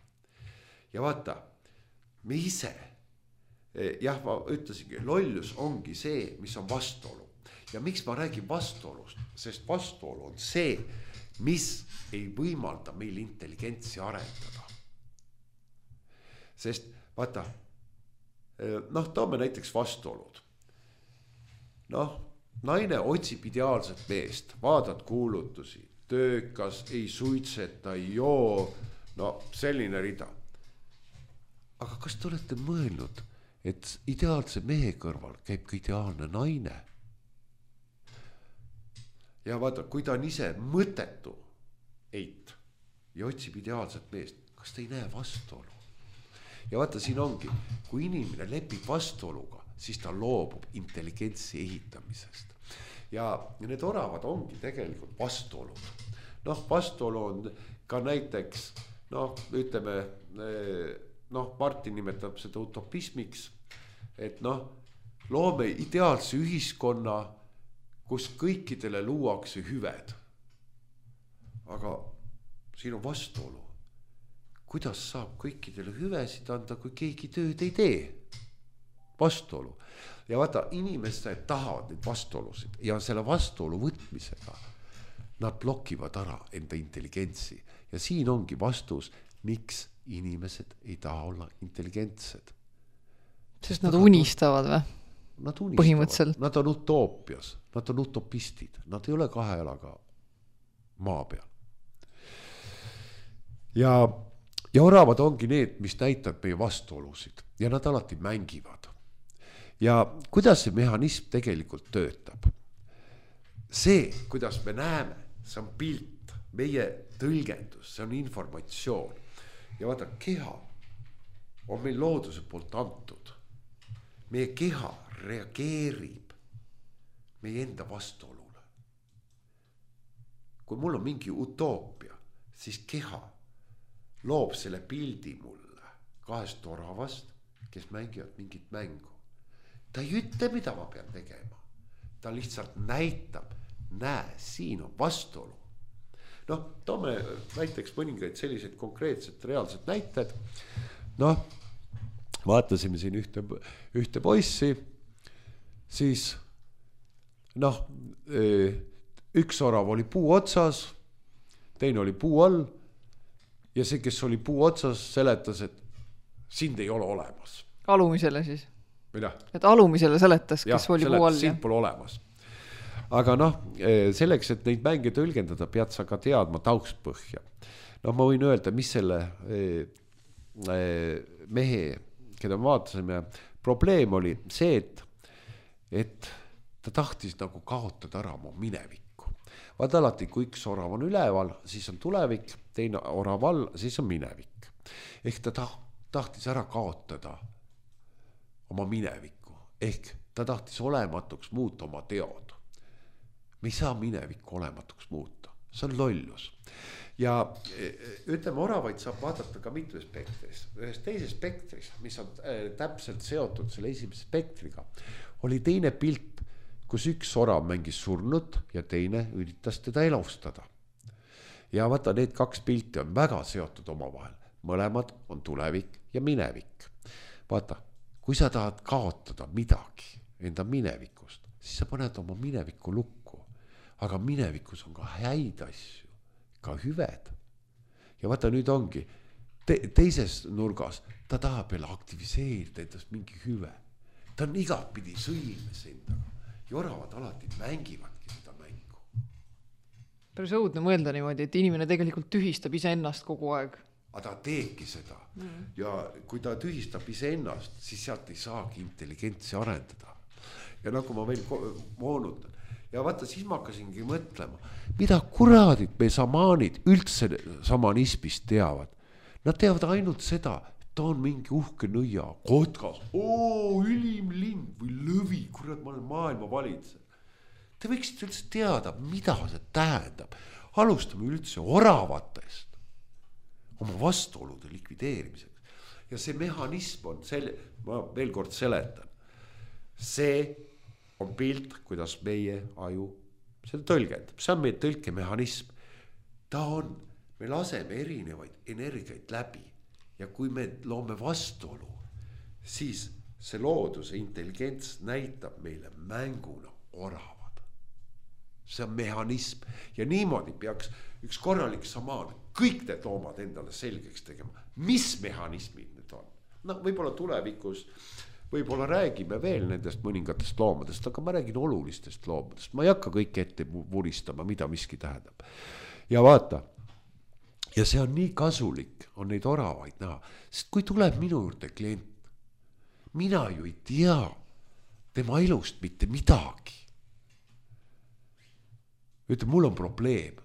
Ja vaata, me ise, jah, ma ütlesingi, lollus ongi see, mis on vastuolu. Ja miks ma räägin vastuolust? Sest vastuolu on see, mis ei võimalda meil intelligentsi arendada. Sest vaata, noh, toome näiteks vastuolud. Noh, naine otsib ideaalset meest, vaadad kuulutusi, töökas, ei suitseta, ei joo, no selline rida. Aga kas te olete mõelnud, et ideaalse mehe kõrval käib ka ideaalne naine? Ja vaata, kui ta on ise mõttetu eit ja otsib ideaalset meest, kas ta ei näe vastuolu? Ja vaata, siin ongi, kui inimene lepib vastuoluga, siis ta loobub intelligentsi ehitamisest. Ja need oravad ongi tegelikult vastuolud. Noh, vastuolu on ka näiteks, noh, ütleme, noh, Martin nimetab seda utopismiks, et noh, loome ideaalse ühiskonna, kus kõikidele luuakse hüved. Aga siin on vastuolu. Kuidas saab kõikidele hüvesid anda, kui keegi tööd ei tee? Vastuolu. Ja vaata, inimesed tahavad neid vastuolusid ja selle vastuolu võtmisega nad blokivad ära enda intelligentsi. Ja siin ongi vastus, miks inimesed ei taha olla intelligentsed. Sest nad unistavad või? Nad unistavad, nad on utoopias, nad on utopistid, nad ei ole kahe jalaga maa peal. Ja oravad ongi need, mis näitavad meie vastuolusid ja nad alati mängivad. Ja kuidas see mehhanism tegelikult töötab? See, kuidas me näeme, see on pilt, meie tõlgendus, see on informatsioon. Ja vaata, keha on meil looduse poolt antud. Meie keha reageerib meie enda vastuolule. Kui mul on mingi utoopia, siis keha loob selle pildi mulle kahest oravast, kes mängivad mingit mängu. Ta ei ütle, mida ma pean tegema. Ta lihtsalt näitab, näe, siin on vastuolu. Noh, toome näiteks mõningaid selliseid konkreetset reaalset näited. Noh, vaatasime siin ühte poissi, siis noh, üks orav oli puu otsas, teine oli puu all ja see, kes oli puu otsas, seletas, et sind ei ole olemas. Alumisele siis? Mida? Et alumisele seletas, kes oli puu all. Sind pole olemas. Aga noh, selleks, et neid mänge tõlgendada, pead sa ka teadma taustpõhja. Ma võin öelda, mis selle mehe, keda me vaatasime, probleem oli see, et ta tahtis nagu kaotada ära oma minevikku. Vaata alati, kui üks orav on üleval, siis on tulevik, teine orav all, siis on minevik. Ehk ta tahtis ära kaotada oma minevikku. Ehk ta tahtis olematuks muuta oma teod. Me ei saa minevikku olematuks muuta. See on lollus. Ja ütleme, oravaid saab vaadata ka mitu spektris. Ühes teises spektris, mis on täpselt seotud selle esimese spektriga, oli teine pilt, kus üks orav mängis surnut ja teine üritas teda elustada. Ja vaata, need kaks pilti on väga seotud omavahel. Mõlemad on tulevik ja minevik. Vaata, kui sa tahad kaotada midagi enda minevikust, siis sa paned oma minevikku lukku. Aga minevikus on ka häid asju, ka hüved. Ja vaata, nüüd ongi teises nurgas, ta tahab veel aktiviseerida endast mingi hüve. Ta on igatpidi sõimes endaga. Ja oravad alati mängivadki seda mängu. Päris õudne mõelda niimoodi, et inimene tegelikult tühistab iseennast kogu aeg. Aga ta teebki seda. Ja kui ta tühistab iseennast, siis sealt ei saagi intelligentsi arendada. Ja nagu ma veel moonutan. Ja vaata, siis ma hakkasingi mõtlema, mida kuradid me samaanid üldse samanismist teavad. Nad teavad ainult seda, ta on mingi uhke nõia, kotkas, ülim lind või lõvi, kurat, ma olen maailma valitseja. Te võiksite üldse teada, mida see tähendab. Alustame üldse oravatest oma vastuolude likvideerimiseks. Ja see mehhanism on ma veel kord seletan. See on pilt, kuidas meie aju seda tõlgendab. See on meie tõlkemehhanism. Me laseme erinevaid energiaid läbi ja kui me loome vastuolu, siis see looduse intelligents näitab meile mänguna oravad. See on mehhanism ja niimoodi peaks üks korralik samaan kõik need loomad endale selgeks tegema. Mis mehhanismid need on? Võib-olla tulevikus võib-olla räägime veel nendest mõningatest loomadest, aga ma räägin olulistest loomadest. Ma ei hakka kõik ette vuristama, mida miski tähendab. Ja vaata, ja see on nii kasulik, on neid oravaid näha. Sest kui tuleb minu juurde klient, mina ju ei tea tema elust mitte midagi. Ütleb, mul on probleem.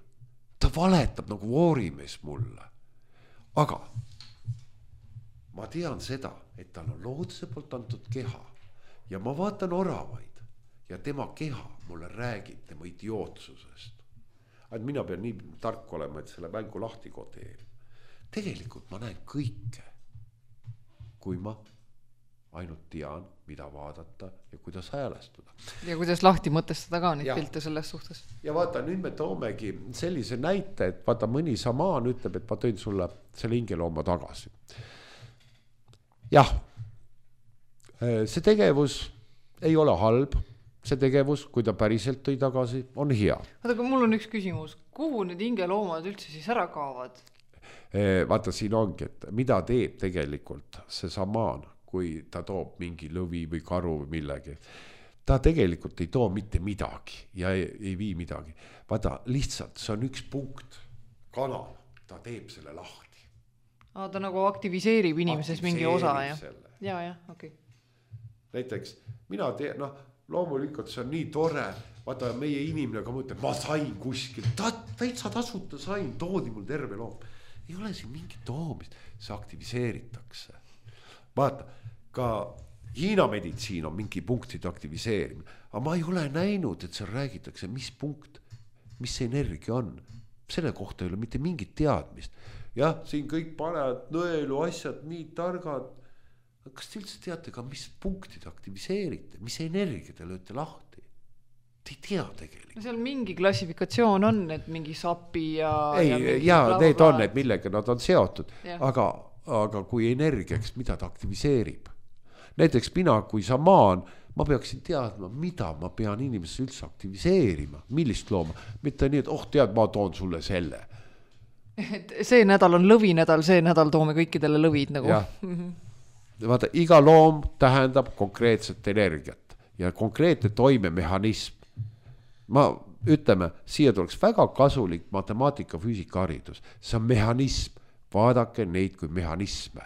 Ta valetab nagu voorimees mulle. Aga ma tean seda, et tal on looduse poolt antud keha ja ma vaatan oravaid ja tema keha mulle räägib tema idiootsusest. Et mina pean nii tark olema, et selle mängu lahti kodeerima. Tegelikult ma näen kõike, kui ma ainult tean, mida vaadata ja kuidas häälestuda. Ja kuidas lahti mõtestada ka neid pilte selles suhtes. Ja vaata, nüüd me toomegi sellise näite, et vaata mõni samaan ütleb, et ma tõin sulle selle hingelooma tagasi. Jah, see tegevus ei ole halb, see tegevus, kui ta päriselt tõi tagasi, on hea. Aga mul on üks küsimus, kuhu need hingeloomad üldse siis ära kaavad? Vaata, siin ongi, et mida teeb tegelikult see samaan, kui ta toob mingi lõvi või karu või millegi. Ta tegelikult ei too mitte midagi ja ei vii midagi. Vaata, lihtsalt see on üks punkt, kanal, ta teeb selle lahti. Ta nagu aktiviseerib inimeses mingi osa, ja, okei. Näiteks, mina tean, loomulikult see on nii tore, vaata meie inimene ka mõtleb, ma sain kuskil, täitsa tasuta sain, toodi mul terve loom. Ei ole siin mingi toomist, see aktiviseeritakse. Vaata, ka Hiina meditsiin on mingi punktide aktiviseerimine, aga ma ei ole näinud, et seal räägitakse, mis punkt, mis see energia on. Selle kohta ei ole mitte mingit teadmist. Jah, siin kõik panevad nõelu asjad nii targad. Kas te üldse teate ka, mis punktid aktiviseerite, mis energia te lööte lahti? Te ei tea tegelikult. Seal mingi klassifikatsioon on, et mingi sapi ja... Need on, et millega nad on seotud. Aga kui energiaks, mida ta aktiviseerib? Näiteks mina, kui samaan, ma peaksin teadma, mida ma pean inimesse üldse aktiviseerima, millist looma. Mitte nii, et tead, ma toon sulle selle. et see nädal on lõvinädal, see nädal toome kõikidele lõvid nagu. Vaata, iga loom tähendab konkreetset energiat ja konkreetne toimemehhanism. Ütleme, siia tuleks väga kasulik matemaatika füüsika haridus. See on mehhanism. Vaadake neid kui mehhanisme.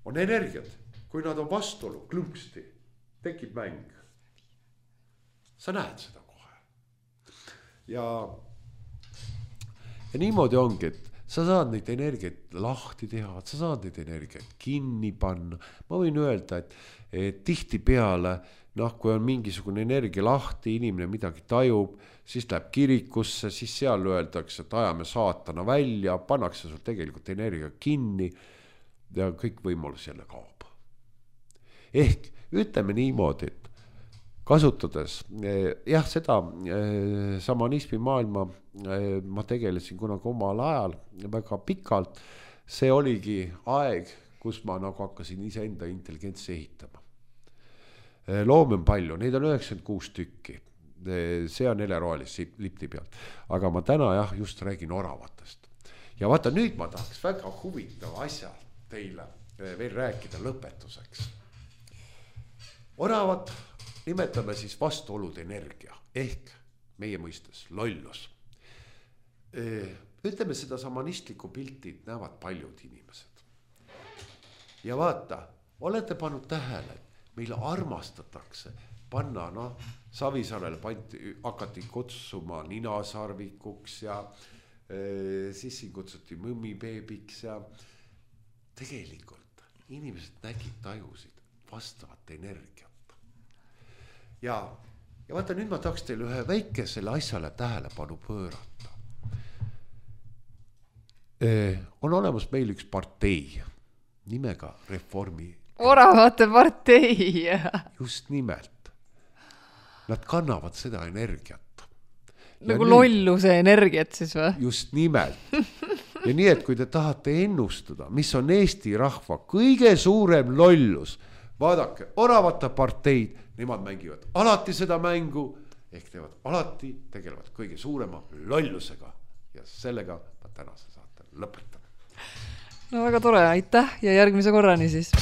On energiat. Kui nad on vastuolu, klõmpsti, tekib mäng. Sa näed seda kohe. Ja niimoodi ongi, et sa saad neid energiat lahti teha, sa saad neid energiat kinni panna. Ma võin öelda, et tihti peale, kui on mingisugune energia lahti, inimene midagi tajub, siis läheb kirikusse, siis seal öeldakse, et ajame saatana välja, pannakse sul tegelikult energia kinni ja kõik võimalus jälle kaob. Ehk ütleme niimoodi, et kasutades, seda šamanismi maailma ma tegelesin kunagi omal ajal väga pikalt, see oligi aeg, kus ma nagu hakkasin iseenda intelligentsi ehitama. Loome on palju, neid on 96 tükki, see on helerohelis lipti pealt, aga ma täna just räägin oravatest. Ja vaata, nüüd ma tahaks väga huvitava asja teile veel rääkida lõpetuseks. Oravat nimetame siis vastuolude energia, ehk meie mõistes lollus. Ütleme, seda šamanistlikku pilti näevad paljud inimesed. Ja vaata, olete pannud tähele, meil armastatakse panna, Savisaarele hakati kutsuma ninasarvikuks ja siis siin kutsuti mõmmibeebiks ja tegelikult inimesed nägid, tajusid vastavat energiat. Ja vaata, nüüd ma tahaks teile ühe väikesele asjale tähelepanu pöörata. On olemas meil üks partei nimega Reformi. Oravate partei. Just nimelt. Nad kannavad seda energiat. Nagu lolluse energiat siis või? Just nimelt. Ja nii, et kui te tahate ennustada, mis on Eesti rahva kõige suurem lollus, vaadake, oravate parteid, nemad mängivad alati seda mängu, ehk tegelevad kõige suurema lollusega. Ja sellega ma tänase saate lõpetan. No väga tore, aitäh ja järgmise korrani siis.